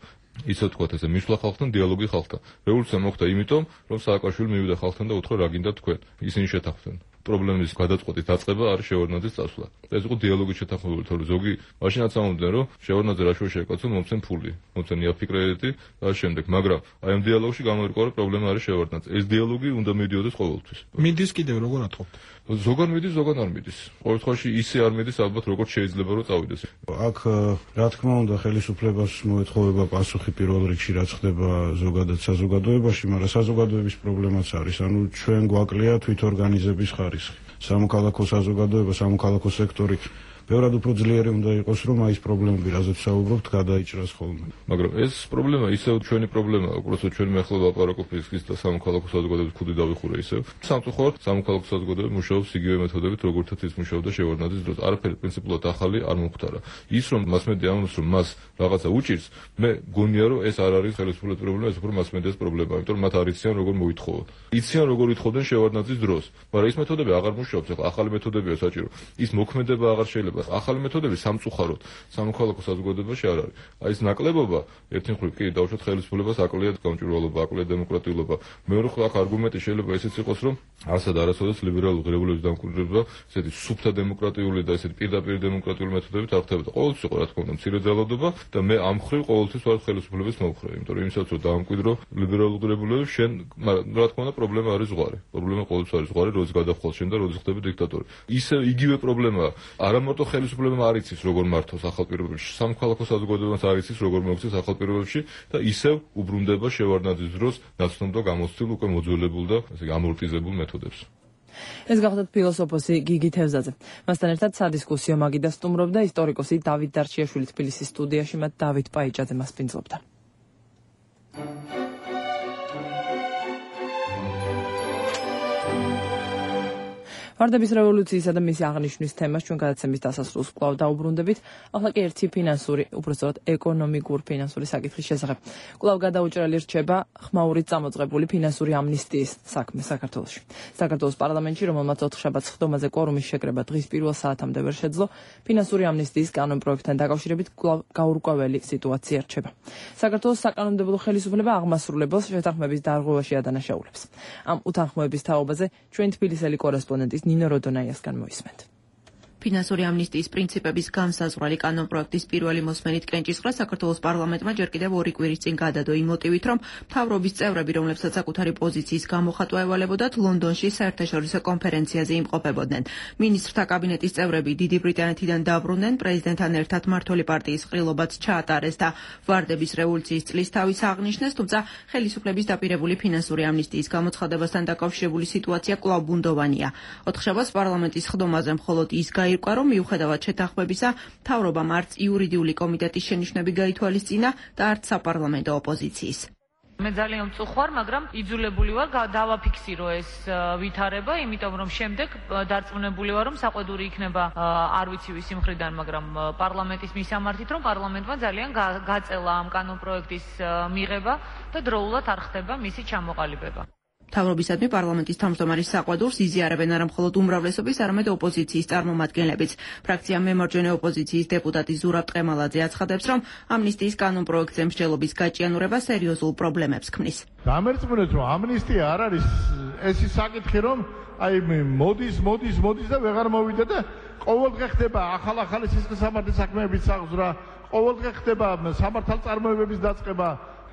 ისე ვთქვათ, ესე მისვლა ხალხთან, დიალოგი ხალხთან. რევოლუცია მოხდა იმიტომ, რომ სააკაშვილი მივიდა ხალხთან და უთხრა რა გინდა თქვენ. ისინი შეთანხმდნენ. პრობლემის გადაწყვეტის დაწყება არის შევარდნაძის წასვლა. ეს იყო დიალოგის შეთანხმებული, თორე ზოგი მაშინაც ამბობდნენ, რომ შევარდნაძე რა შუა შეეკაცო, მომცენ ფული, მომცენ იაფი კრედიტი და შემდეგ, მაგრამ აი ამ დიალოგში გამოირკვა, რომ პრობლემა არის შევარდნაძე. ეს დიალოგი უნდა მიდიოდეს ყოველთვის. მიდის კიდევ როგორ ათხოვთ? ზოგან მიდის, ზოგან არ მიდის. ყოველ შემთხვევაში ისე არ მიდის, ალბათ როგორც შეიძლება რომ წავიდეს. აქ რა თქმა უნდა ხელისუფლებას მოეთხოვება პასუხი პირველ რიგში რაც ხდება ზოგადად საზოგადოებაში, მაგრამ საზოგადოების პრობლემაც არის. ანუ ჩვენ გვაკლია თვითორგანიზების ხარისხი. სამოქალაქო საზოგადოება, სამოქალაქო სექტორი ბევრად უფრო ძლიერი უნდა იყოს, რომ აი ეს პრობლემები, რაზეც საუბრობთ, გადაიჭრას ხოლმე. მაგრამ ეს პრობლემა ისევ ჩვენი პრობლემაა, უბრალოდ ჩვენ მეხლა ლაპარაკობთ ის და სამოქალაქო საზოგადოების ქუდი დავიხურე ისევ. სამწუხაროდ სამოქალაქო საზოგადოება მუშაობს იგივე მეთოდებით, როგორთაც ის მუშაობდა შევარდნაძის დროს. არაფერი პრინციპულად ახალი არ მომხდარა. ის რომ მასმედია ამბობს, რომ მას რაღაცა უჭირს, მე გონია, რომ ეს არ არის ხელისუფლების პრობლემა, ეს უფრო მასმედიას პრობლემაა, იმიტომ რომ მათ არ იციან როგორ მოითხოვოთ. იციან როგორ ითხოვდნენ შევარდნაძის დროს, მაგრამ ეს მეთოდები აღარ მუშაობს, ახლა ახალი მეთოდებია საჭირო. ის მოქმედება აღარ შეიძლება. ახალი მეთოდები სამწუხაროდ სამოქალაქო საზოგადოებაში არ არის. აი ეს ნაკლებობა ერთი მხრივ კი დავუშვათ ხელისუფლებას აკლია გამჭვირვალობა, აკლია დემოკრატიულობა. მეორე მხრივ აქ არგუმენტი შეიძლება ესეც იყოს, რომ არსად არასოდეს ლიბერალური ღირებულების დამკვიდრება, ესეთი სუფთა დემოკრატიული და ესეთი პირდაპირ დემოკრატიული მეთოდებით არ ხდებოდა. ყოველთვის იყო რა თქმა უნდა მცირე ძალადობა და მე ამ მხრივ ყოველთვის ვარ ხელისუფლების მომხრე, იმიტომ რომ იმისაც რომ დაამკვიდრო ლიბერალურ ღირებულებებს, შენ რა თქმა უნდა პრობლემა არის ზღვარი. პრობლემა ყოველთვის არის ზღვარი, როდის გადახვალ შენ და როდის ხდები დიქტატორი. ისე იგივე პრობლემაა. არა მარტო ხელისუფლებამ არ იცის როგორ მართოს ახალ პირობებში, სამოქალაქო საზოგადოებამ არ იცის როგორ მოიქცეს ახალ პირობებში და ისევ უბრუნდება შევარდნაძის დროს ნაცნობ და გამოცდილ უკვე მოძველებულ და ესე ამორტიზებულ მეთოდებს. ეს გახლდათ ფილოსოფოსი გიგი თევზაძე. მასთან ერთად სადისკუსიო მაგიდა სტუმრობდა ისტორიკოსი დავით დარჩიაშვილი თბილისის სტუდიაში, მათ დავით პაიჭაძე მას პინძლობდა. ვარდების რევოლუციისა და მისი აღნიშვნის თემას ჩვენ გადაცემის დასასრულს კვლავ დაუბრუნდებით. ახლა კი ერთი ფინანსური, უბრალოდ ეკონომიკურ ფინანსური საკითხის შესახებ. კვლავ გადაუჭრელი რჩება ხმაურით წამოწყებული ფინანსური ამნისტიის საქმე საქართველოში. საქართველოს პარლამენტში, რომელმაც ოთხშაბათს ხდომაზე კვორუმის შეკრება დღის პირველ საათამდე ვერ შეძლო, ფინანსური ამნისტიის კანონპროექტთან დაკავშირებით კვლავ გაურკვეველი სიტუაცია რჩება. საქართველოს საკანონმდებლო ხელისუფლება აღმასრულებელს შეთანხმების დარღვევაში ადანაშაულებს. ამ უთანხმოების თაობაზე ჩვენ თბილისელი კორესპონდენტის ნინო როდონაიასგან მოისმენთ. ფინანსური ამნისტიის პრინციპების განსაზღვრალი კანონპროექტის პირველი მოსმენით კენჭისყრა საქართველოს პარლამენტმა ჯერ კიდევ ორი კვირის წინ გადადო იმ მოტივით, რომ მთავრობის წევრები, რომლებსაც საკუთარი პოზიციის გამოხატვა ევალებოდათ, ლონდონში საერთაშორისო კონფერენციაზე იმყოფებოდნენ. მინისტრთა კაბინეტის წევრები დიდი ბრიტანეთიდან დაბრუნდნენ, პრეზიდენტთან ერთად მმართველი პარტიის ყრილობაც ჩაატარეს და ვარდების რევოლუციის წლის თავის აღნიშნეს, თუმცა ხელისუფლების დაპირებული ფინანსური ამნისტიის გამოცხადებასთან დაკავშირებული სიტუაცია კვლავ ბუნდოვანია. ოთხშაბათს პარლამენტის ხდომაზე მხოლოდ ის ირკვა, რომ მიუხედავად შეთანხმებისა, მთავრობამ არც იურიდიული კომიტეტის შენიშვნები გაითვალისწინა და არც საპარლამენტო ოპოზიციის. მე ძალიან მწუხვარ, მაგრამ იძულებული ვარ დავაფიქსირო ეს ვითარება, იმიტომ რომ შემდეგ დარწმუნებული ვარ, რომ საყვედური იქნება არ ვიცი ვისი მხრიდან, მაგრამ პარლამენტის მისამართით, რომ პარლამენტმა ძალიან გაწელა ამ კანონპროექტის მიღება და დროულად არ ხდება მისი ჩამოყალიბება. მთავრობისადმი პარლამენტის თავმჯდომარის საყვედურს იზიარებენ არა მხოლოდ უმრავლესობის, არამედ ოპოზიციის წარმომადგენლებიც. ფრაქცია მემარჯვენე ოპოზიციის დეპუტატი ზურაბ ტყემალაძე აცხადებს, რომ ამნისტიის კანონპროექტზე მსჯელობის გაჭიანურება სერიოზულ პრობლემებს ქმნის. დამერწმუნეთ, რომ ამნისტია არ არის ეს ის საკითხი, რომ აი მოდის, მოდის, მოდის და ვეღარ მოვიდა და ყოველდღე ხდება ახალ-ახალი სისხლისამართლის საქმეების აღზრდა, ყოველდღე ხდება სამართალწარმოებების დაწყება,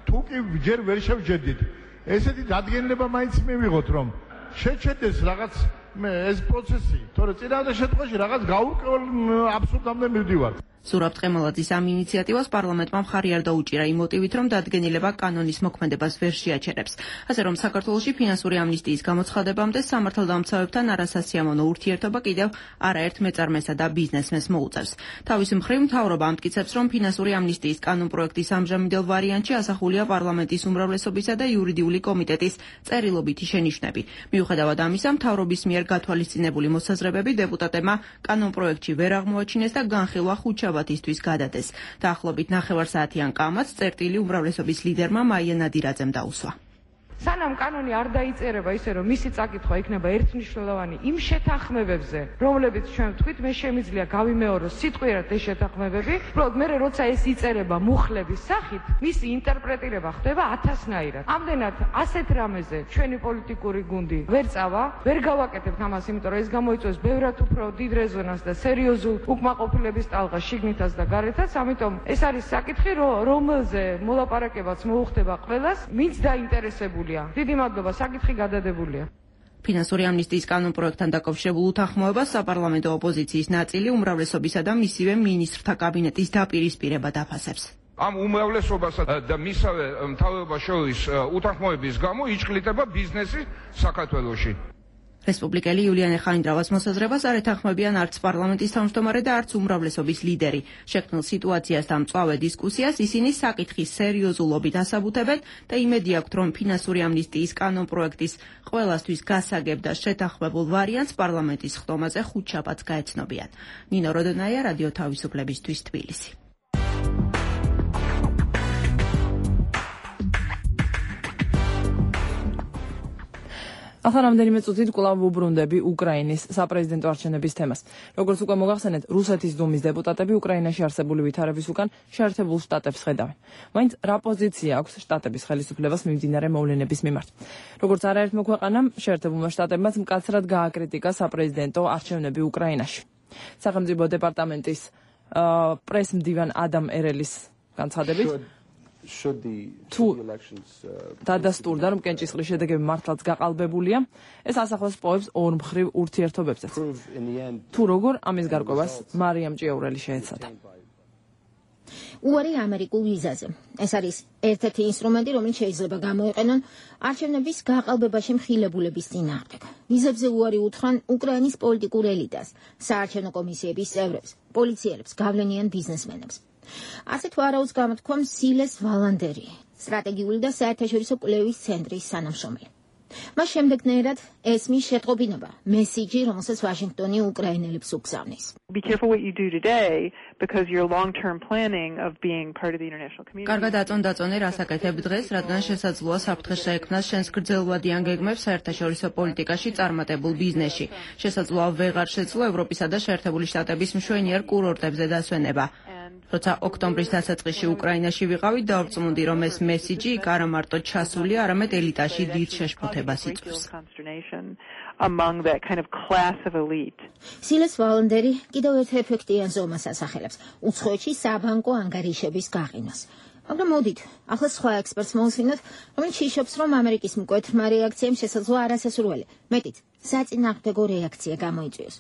თუ კი ჯერ ვერ შევჯერდით. ესეთი დადგენილება მაინც მივიღოთ, რომ შეჩერდეს რაღაც ეს პროცესი, თორე წინააღმდეგ შემთხვევაში რაღაც გაურკვეველ აბსურდამდე მივდივართ. ზურაბ ტყემალაძის ამ ინიციატივას პარლამენტმა მხარი არ დაუჭირა იმ მოტივით, რომ დადგენილება კანონის მოქმედებას ვერ შეაჩერებს. ასე რომ საქართველოში ფინანსური ამნისტიის გამოცხადებამდე სამართალდამცავებთან არასასიამოვნო ურთიერთობა კიდევ არაერთ მეწარმესა და ბიზნესმენს მოუწევს. თავის მხრივ მთავრობა ამტკიცებს, რომ ფინანსური ამნისტიის კანონპროექტის ამჟამინდელ ვარიანტში ასახულია პარლამენტის უმრავლესობისა და იურიდიული კომიტეტის წერილობითი შენიშვნები. მიუხედავად ამისა, მთავრობის მიერ გათვალისწინებული მოსაზრებები დეპუტატებმა კანონპროექტში ვერ აღმოაჩინეს და განხილვა ხუთშაბათისთვის გადადეს. დაახლოებით ნახევარსაათიან კამათს წერტილი უმრავლესობის ლიდერმა მაია ნადირაძემ დაუსვა. სანამ კანონი არ დაიწერება ისე რომ მისი წაკითხვა იქნება ერთმნიშვნელოვანი იმ შეთანხმებებზე, რომლებიც ჩვენ ვთქვით, მე შემიძლია გავიმეოროს სიტყვიერად ეს შეთანხმებები, უბრალოდ მე როცა ეს იწერება მუხლების სახით, მისი ინტერპრეტირება ხდება ათასნაირად. ამდენად ასეთ რამეზე ჩვენი პოლიტიკური გუნდი ვერ წავა, ვერ გავაკეთებთ ამას, იმიტომ რომ ეს გამოიწვევს ბევრად უფრო დიდ რეზონანსს და სერიოზულ უკმაყოფილების ტალღას შიგნითაც და გარეთაც, ამიტომ ეს არის საკითხი, რომელზე მოლაპარაკებაც მოუხდება ყველას, ვინც დაინტერესებული. დიდი მადლობა, საკითხი გადადებულია. ფინანსური ამნისტიის კანონპროექტთან დაკავშირებულ უთანხმოებას საპარლამენტო ოპოზიციის ნაწილი უმრავლესობისა და მისივე მინისტრთა კაბინეტის დაპირისპირებად აფასებს. ამ უმრავლესობასა და მისავე მთავრობას შორის უთანხმოების გამო იჭრილდება ბიზნესი საქართველოში. რესპუბლიკელი იულიანე ხანიდრავას მოსაზრებას არ ეთანხმებიან არც პარლამენტის თავმჯდომარე და არც უმრავლესობის ლიდერი. შექმნილ სიტუაციას და მწვავე დისკუსიას ისინი საკითხის სერიოზულობით ასაბუთებენ და იმედი აქვთ, რომ ფინანსური ამნისტიის კანონპროექტის ყველასთვის გასაგებ და შეთანხმებულ ვარიანტს პარლამენტის ხდომაზე ხუთშაბათს გაეცნობიან. ნინო როდონაია, რადიო თავისუფლებისთვის, თბილისი. ახლა რამდენიმე წუთით კვლავ ვუბრუნდები უკრაინის საპრეზიდენტო არჩევნების თემას. როგორც უკვე მოგახსენეთ, რუსეთის დუმის დეპუტატები უკრაინაში არსებული ვითარების უკან შეერთებულ შტატებს ხედავენ. მაინც რა პოზიცია აქვს შტატების ხელისუფლებას მიმდინარე მოვლენების მიმართ? როგორც არაერთმა ქვეყანამ, შეერთებულმა შტატებმაც მკაცრად გააკრიტიკა საპრეზიდენტო არჩევნები უკრაინაში. სახელმწიფო დეპარტამენტის პრესმდივან ადამ ერელის განცხადებით თუ დადასტურდა, რომ კენჭისყრის შედეგები მართლაც გაყალბებულია, ეს ასახავს პოებს ორმხრივ ურთიერთობებსაც. თუ როგორ ამის გარკვევას მარიამ ჭიაურელი შეეცადა. უარი ამერიკულ ვიზაზე. ეს არის ერთ-ერთი ინსტრუმენტი, რომელიც შეიძლება გამოიყენონ არჩევნების გაყალბებაში მხილებულების წინააღმდეგ. ვიზებზე უარი უთხრან უკრაინის პოლიტიკურ ელიტას, საარჩევნო კომისიების წევრებს, პოლიციელებს, გავლენიან ბიზნესმენებს. ასეთ ვარაუდს გამოთქვამს სილეს ვალანდერი, სტრატეგიული და საერთაშორისო კვლევის ცენტრის თანამშრომელი. მას შემდეგნაირად ესმის შეტყობინება, მესიჯი, რომელსაც ვაშინგტონი უკრაინელებს უგზავნის. Be careful what you do today because your long-term planning of being part of the international community. კარგად აწონ-დაწონე რასაკეთებ დღეს, რადგან შესაძლოა საფრთხეს შეექმნას შენს გრძელვადიან გეგმებს საერთაშორისო პოლიტიკაში წარმატებულ ბიზნესში. შესაძლოა ვეღარ შეძლო ევროპისა და შეერთებული შტატების მშვენიერ კურორტებზე დასვენება. როცა ოქტომბრის დასაწყისში უკრაინაში ვიყავი, დავწმუნდი, რომ ეს მესიჯი იქ არა მარტო ჩასულია, არამედ ელიტაში დიდ შეშფოთებას იწვევს. Among that kind of class of elite. სილეს ვალანდერი კიდევ ერთ ეფექტიან ზომას ასახელებს, უცხოეთში საბანკო ანგარიშების გაყინვას. მაგრამ მოდით, ახლა სხვა ექსპერტს მოვუსმინოთ, რომელიც იშობს, რომ ამერიკის მკვეთრმა რეაქციამ შესაძლოა არასასურველი, მეტიც, საწინააღმდეგო რეაქცია გამოიწვიოს.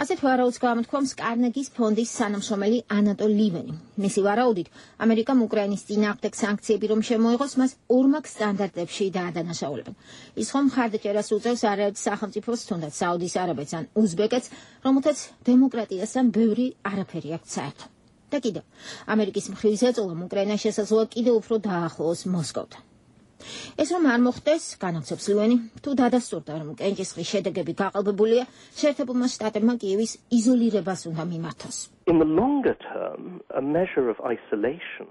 ასეთ ვარაუდს გამოთქვამს კარნეგის ფონდის თანამშრომელი ანატოლ ლივენი. მისი ვარაუდით, ამერიკამ უკრაინის წინააღმდეგ სანქციები რომ შემოიღოს, მას ორმაგ სტანდარტებში დაადანაშაულებენ. ის ხომ მხარდაჭერას უწევს არაერთ სახელმწიფოს, თუნდაც საუდის არაბეთს ან უზბეკეთს, რომელთაც დემოკრატიასთან ბევრი არაფერი აქვს საერთო. და კიდევ, ამერიკის მხრივ ზეწოლამ უკრაინა შესაძლოა კიდევ უფრო დაახლოოს მოსკოვთან. ეს რომ არ მოხდეს, განაგცობს ლივენი, თუ დადასტურდა, რომ კენჭისყრის შედეგები გაყალბებულია, შეერთებულმა შტატებმა კიევის იზოლირებას უნდა მიმართოს. In the longer term, a measure of isolation.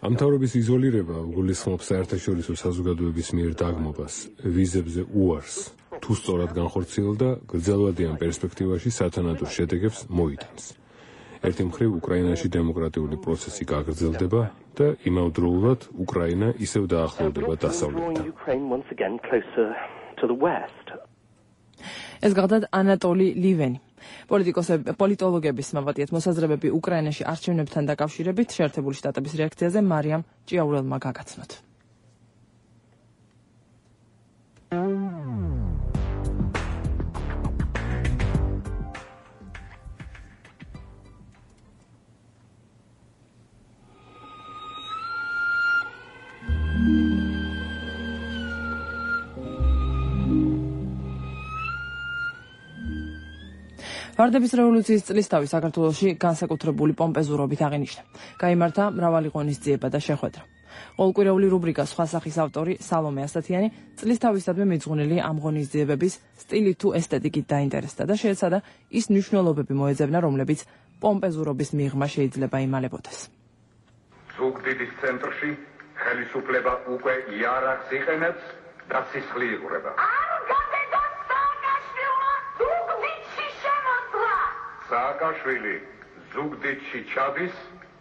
ამ თავრობის იზოლირება გულისხმობს საერთაშორისო საზოგადოების მიერ დაგმობას, ვიზებზე უარს, თუ სწორად განხორციელდა, გრძელვადიან პერსპექტივაში სათანადო შედეგებს მოიტანს. ერთი მხრივ უკრაინაში დემოკრატიული პროცესი გაგრძელდება და იმავდროულად უკრაინა ისევ დაახლოვდება დასავლეთთან. ეს გახდა ანატოლი ლივენი. პოლიტოლოგების მაბატიეთ მოსაზრებები უკრაინაში არჩევნებთან დაკავშირებით შეერთებული შტატების რეაქციაზე მარიამ ჭიაურელმა გაგაცნოთ. ვარდების რევოლუციის წლისთავი საქართველოში განსაკუთრებული პომპეზურობით აღინიშნა. გაიმართა მრავალი ღონისძიება და შეხვედრა. ყოველკვირეული რუბრიკა სხვა სახის ავტორი სალომე ასათიანი წლისთავისადმი მიძღვნილი ამ ღონისძიებების სტილით თუ ესთეტიკით დაინტერესდა და შეეცადა ის მნიშვნელობები მოეძებნა, რომლებიც პომპეზურობის მიღმა შეიძლება იმალებოდეს. ზუგდიდის ცენტრში ხელისუფლება უკვე იარაღს იყენებს და სისხლი იღვრება. სააკაშვილი ზუგდიდში ჩადის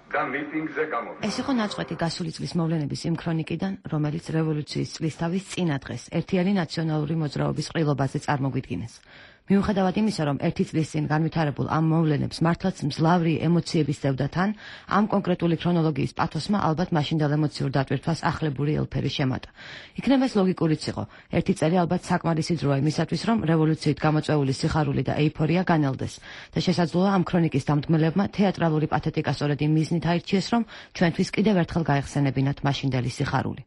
და მიტინგზე გამოდის. ეს იყო ნაწყვეტი გასული წლის მოვლენების იმ ქრონიკიდან, რომელიც რევოლუციის წლისთავის წინა დღეს ერთიანი ნაციონალური მოძრაობის ყრილობაზე წარმოგვიდგინეს. მიუხედავად იმისა, რომ ერთი წლის წინ განვითარებულ ამ მოვლენებს მართლაც მძლავრი ემოციების ზევდა თან, ამ კონკრეტული ქრონოლოგიის პათოსმა ალბათ მაშინდელ ემოციურ დატვირთვას ახლებური ელფერი შემატა. იქნებ ეს ლოგიკურიც იყო. ერთი წელი ალბათ საკმარისი დროა იმისათვის, რომ რევოლუციით გამოწვეული სიხარული და ეიფორია განელდეს და შესაძლოა ამ ქრონიკის დამდგმელებმა თეატრალური პათეტიკა სწორედ იმ მიზნით აირჩიეს, რომ ჩვენთვის კიდევ ერთხელ გაეხსენებინათ მაშინდელი სიხარული.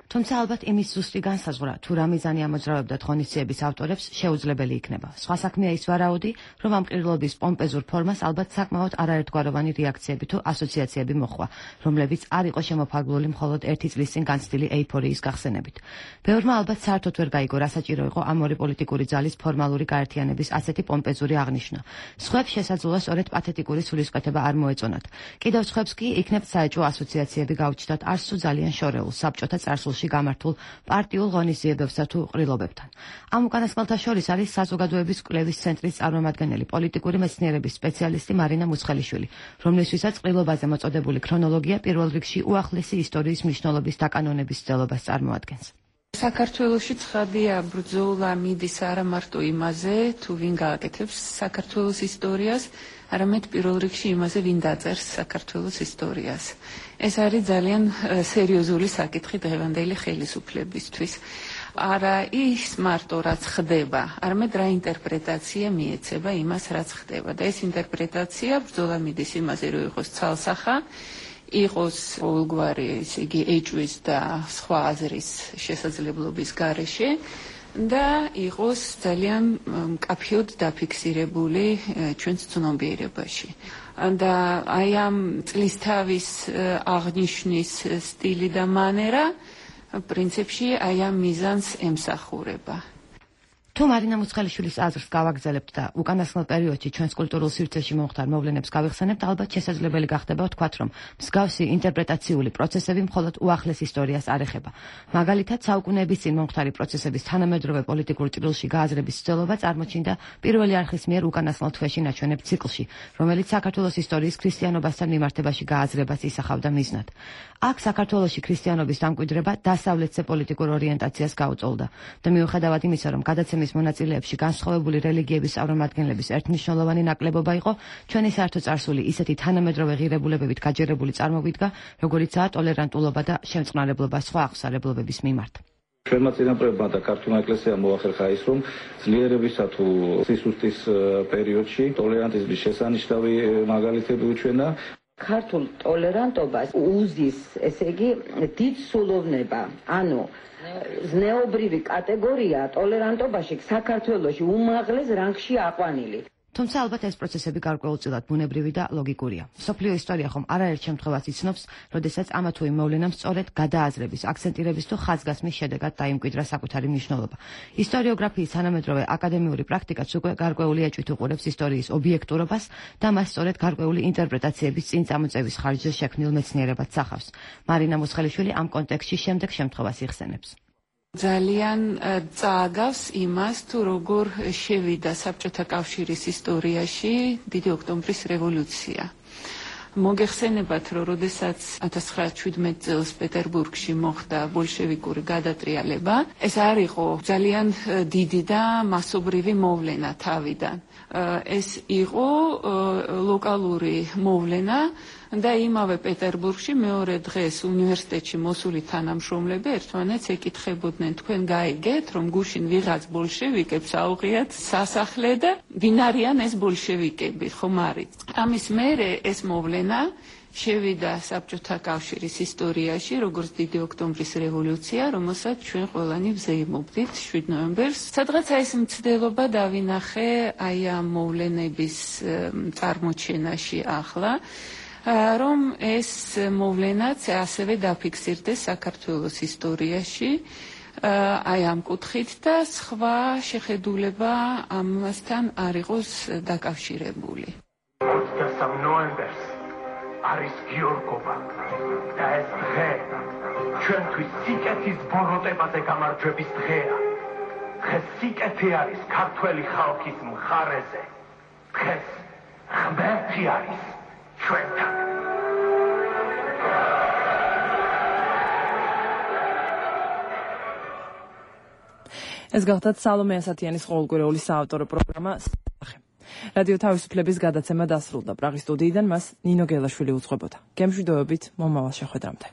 თუმცა ალბათ იმის ზუსტი განსაზღვრა, თუ რა მიზანი ამოძრავებდათ ღონისძიების ავტორებს, შეუძლებელი იქნება. სხვა საქმეა ის ვარაუდი, რომ ამ ყრილობის პომპეზურ ფორმას ალბათ საკმაოდ არაერთგვაროვანი რეაქციები თუ ასოციაციები მოჰყვა, რომლებიც არ იყო შემოფარგლული მხოლოდ ერთი წლის წინ განცდილი ეიფორიის გახსენებით. ბევრმა ალბათ საერთოდ ვერ გაიგო, რა საჭირო იყო ამ ორი პოლიტიკური ძალის ფორმალური გაერთიანების ასეთი პომპეზური აღნიშვნა. სხვებს შესაძლოა სწორედ პათეტიკური სულისკვეთება არ მოეწონათ. კიდევ სხვებს კი იქნებ საეჭვო ასოციაციები გაუჩნდათ არც თუ ძალიან შორეულ საბჭოთა წარსულში გამართულ პარტიულ ღონისძიებებსა თუ ყრილობებთან. ამ უკანასკნელთა შორის არის საზოგადოების კვლევის ცენტრის წარმომადგენელი პოლიტიკური მეცნიერების სპეციალისტი მარინა მუცხელიშვილი, რომლისთვისაც ყრილობაზე მოწოდებული ქრონოლოგია პირველ რიგში უახლესი ისტორიის მნიშვნელობის დაკანონების ცდილობას წარმოადგენს. საქართველოში ცხადია ბრძოლა მიდის არა მარტო იმაზე, თუ ვინ გააკეთებს საქართველოს ისტორიას, არამედ პირველ რიგში იმაზე, ვინ დაწერს საქართველოს ისტორიას. ეს არის ძალიან სერიოზული საკითხი დღევანდელი ხელისუფლებისთვის. არა ის მარტო რაც ხდება, არამედ რა ინტერპრეტაცია მიეცება იმას, რაც ხდება. და ეს ინტერპრეტაცია ბრძოლა მიდის იმაზე, რომ იყოს ცალსახა, იყოს ყოველგვარი, ესე იგი, ეჭვის და სხვა აზრის შესაძლებლობის გარეშე და იყოს ძალიან მკაფიოდ დაფიქსირებული ჩვენს ცნობიერებაში. და აი ამ წლისთავის აღნიშვნის სტილი და მანერა პრინციპში აი ამ მიზანს ემსახურება. თუ მარინა მუცხელიშვილის აზრს გავაგზავნებთ და უკანასკნელ პერიოდში ჩვენს კულტურულ სივრცეში მომხდარ მოვლენებს გავიხსენებთ, ალბათ შესაძლებელი გახდება ვთქვათ, რომ მსგავსი ინტერპრეტაციული პროცესები მხოლოდ უახლეს ისტორიას არ ეხება. მაგალითად, საუკუნეების წინ მომხდარი პროცესების თანამედროვე პოლიტიკურ ჭრილში გააზრების ცდილობა წარმოჩინდა პირველი არხის მიერ უკანასკნელ თვეში ნაჩვენებ ციკლში, რომელიც საქართველოს ისტორიის ქრისტიანობასთან მიმართებაში გააზრებას ისახავდა მიზნად. აქ საქართველოში ქრისტიანობის დამკვიდრება დასავლეთზე პოლიტიკურ ორიენტაციას გაუწოლდა და მიუხედავად იმისა, რომ გადაცემის მონაწილეებში განსხვავებული რელიგიების წარმომადგენლების ერთმნიშვნელოვანი ნაკლებობა იყო, ჩვენი საერთო წარსული ისეთი თანამედროვე ღირებულებებით გაჯერებული წარმოგვიდგა, როგორიცაა ტოლერანტულობა და შემწყნარებლობა სხვა აღმსარებლობების მიმართ. ჩვენმა წინაპრებმა და ქართულმა ეკლესიამ მოახერხა ის, რომ ძლიერებისა თუ სისუსტის პერიოდში ტოლერანტიზმის შესანიშნავი მაგალითები უჩვენა. ქართულ ტოლერანტობას უზის, ესე იგი, დიდ სულოვნება, ანუ ზნეობრივი კატეგორია ტოლერანტობაში საქართველოში უმაღლეს რანგში აყვანილი. თუმცა ალბათ ეს პროცესები გარკვეულწილად ბუნებრივი და ლოგიკურია. მსოფლიო ისტორია ხომ არაერთ შემთხვევას იცნობს, როდესაც ამა თუ იმ მოვლენამ სწორედ გადააზრების, აქცენტირების თუ ხაზგასმის შედეგად დაიმკვიდრა საკუთარი მნიშვნელობა. ისტორიოგრაფიის თანამედროვე აკადემიური პრაქტიკაც უკვე გარკვეული ეჭვით უყურებს ისტორიის ობიექტურობას და მას სწორედ გარკვეული ინტერპრეტაციების წინ წამოწევის ხარჯზე შექმნილ მეცნიერებად სახავს. მარინა მუცხელიშვილი ამ კონტექსტში შემდეგ შემთხვევას იხსენებს. ძალიან წააგავს იმას, თუ როგორ შევიდა საბჭოთა კავშირის ისტორიაში დიდი ოქტომბრის რევოლუცია. მოგეხსენებათ, რომ როდესაც ათას ცხრაასი შვიდმეტ წელს პეტერბურგში მოხდა ბოლშევიკური გადატრიალება, ეს არ იყო ძალიან დიდი და მასობრივი მოვლენა თავიდან. ეს იყო ლოკალური მოვლენა და იმავე პეტერბურგში მეორე დღეს უნივერსიტეტში მოსული თანამშრომლები ერთმანეთს ეკითხებოდნენ, თქვენ გაიგეთ, რომ გუშინ ვიღაც ბოლშევიკებს აუღიათ სასახლე და ვინ არიან ეს ბოლშევიკები, ხომ არის? ამის მერე ეს მოვლენა შევიდა საბჭოთა კავშირის ისტორიაში, როგორც დიდი ოქტომბრის რევოლუცია, რომელსაც ჩვენ ყველანი ვზეიმობდით შვიდ ნოემბერს. სადღაცა ეს მცდელობა დავინახე აი ამ მოვლენების წარმოჩენაში ახლა, რომ ეს მოვლენაც ასევე დაფიქსირდეს საქართველოს ისტორიაში, აი ამ კუთხით და სხვა შეხედულება ამასთან არ იყოს დაკავშირებული. ოცდასამ ნოემბერს არის გიორგობა და ეს დღე ჩვენთვის სიკეთის ბოროტებაზე გამარჯვების დღეა. დღეს სიკეთე არის ქართველი ხალხის მხარეზე. დღეს ღმერთი არის ჩვენთან. ეს გახლდათ სალომე ასათიანის ყოველკვირეული საავტორო პროგრამა რადიო თავისუფლების გადაცემა დასრულდა. პრაღის სტუდიიდან მას ნინო გელაშვილი უძღვებოდა. გემშვიდობებით, მომავალ შეხვედრამდე.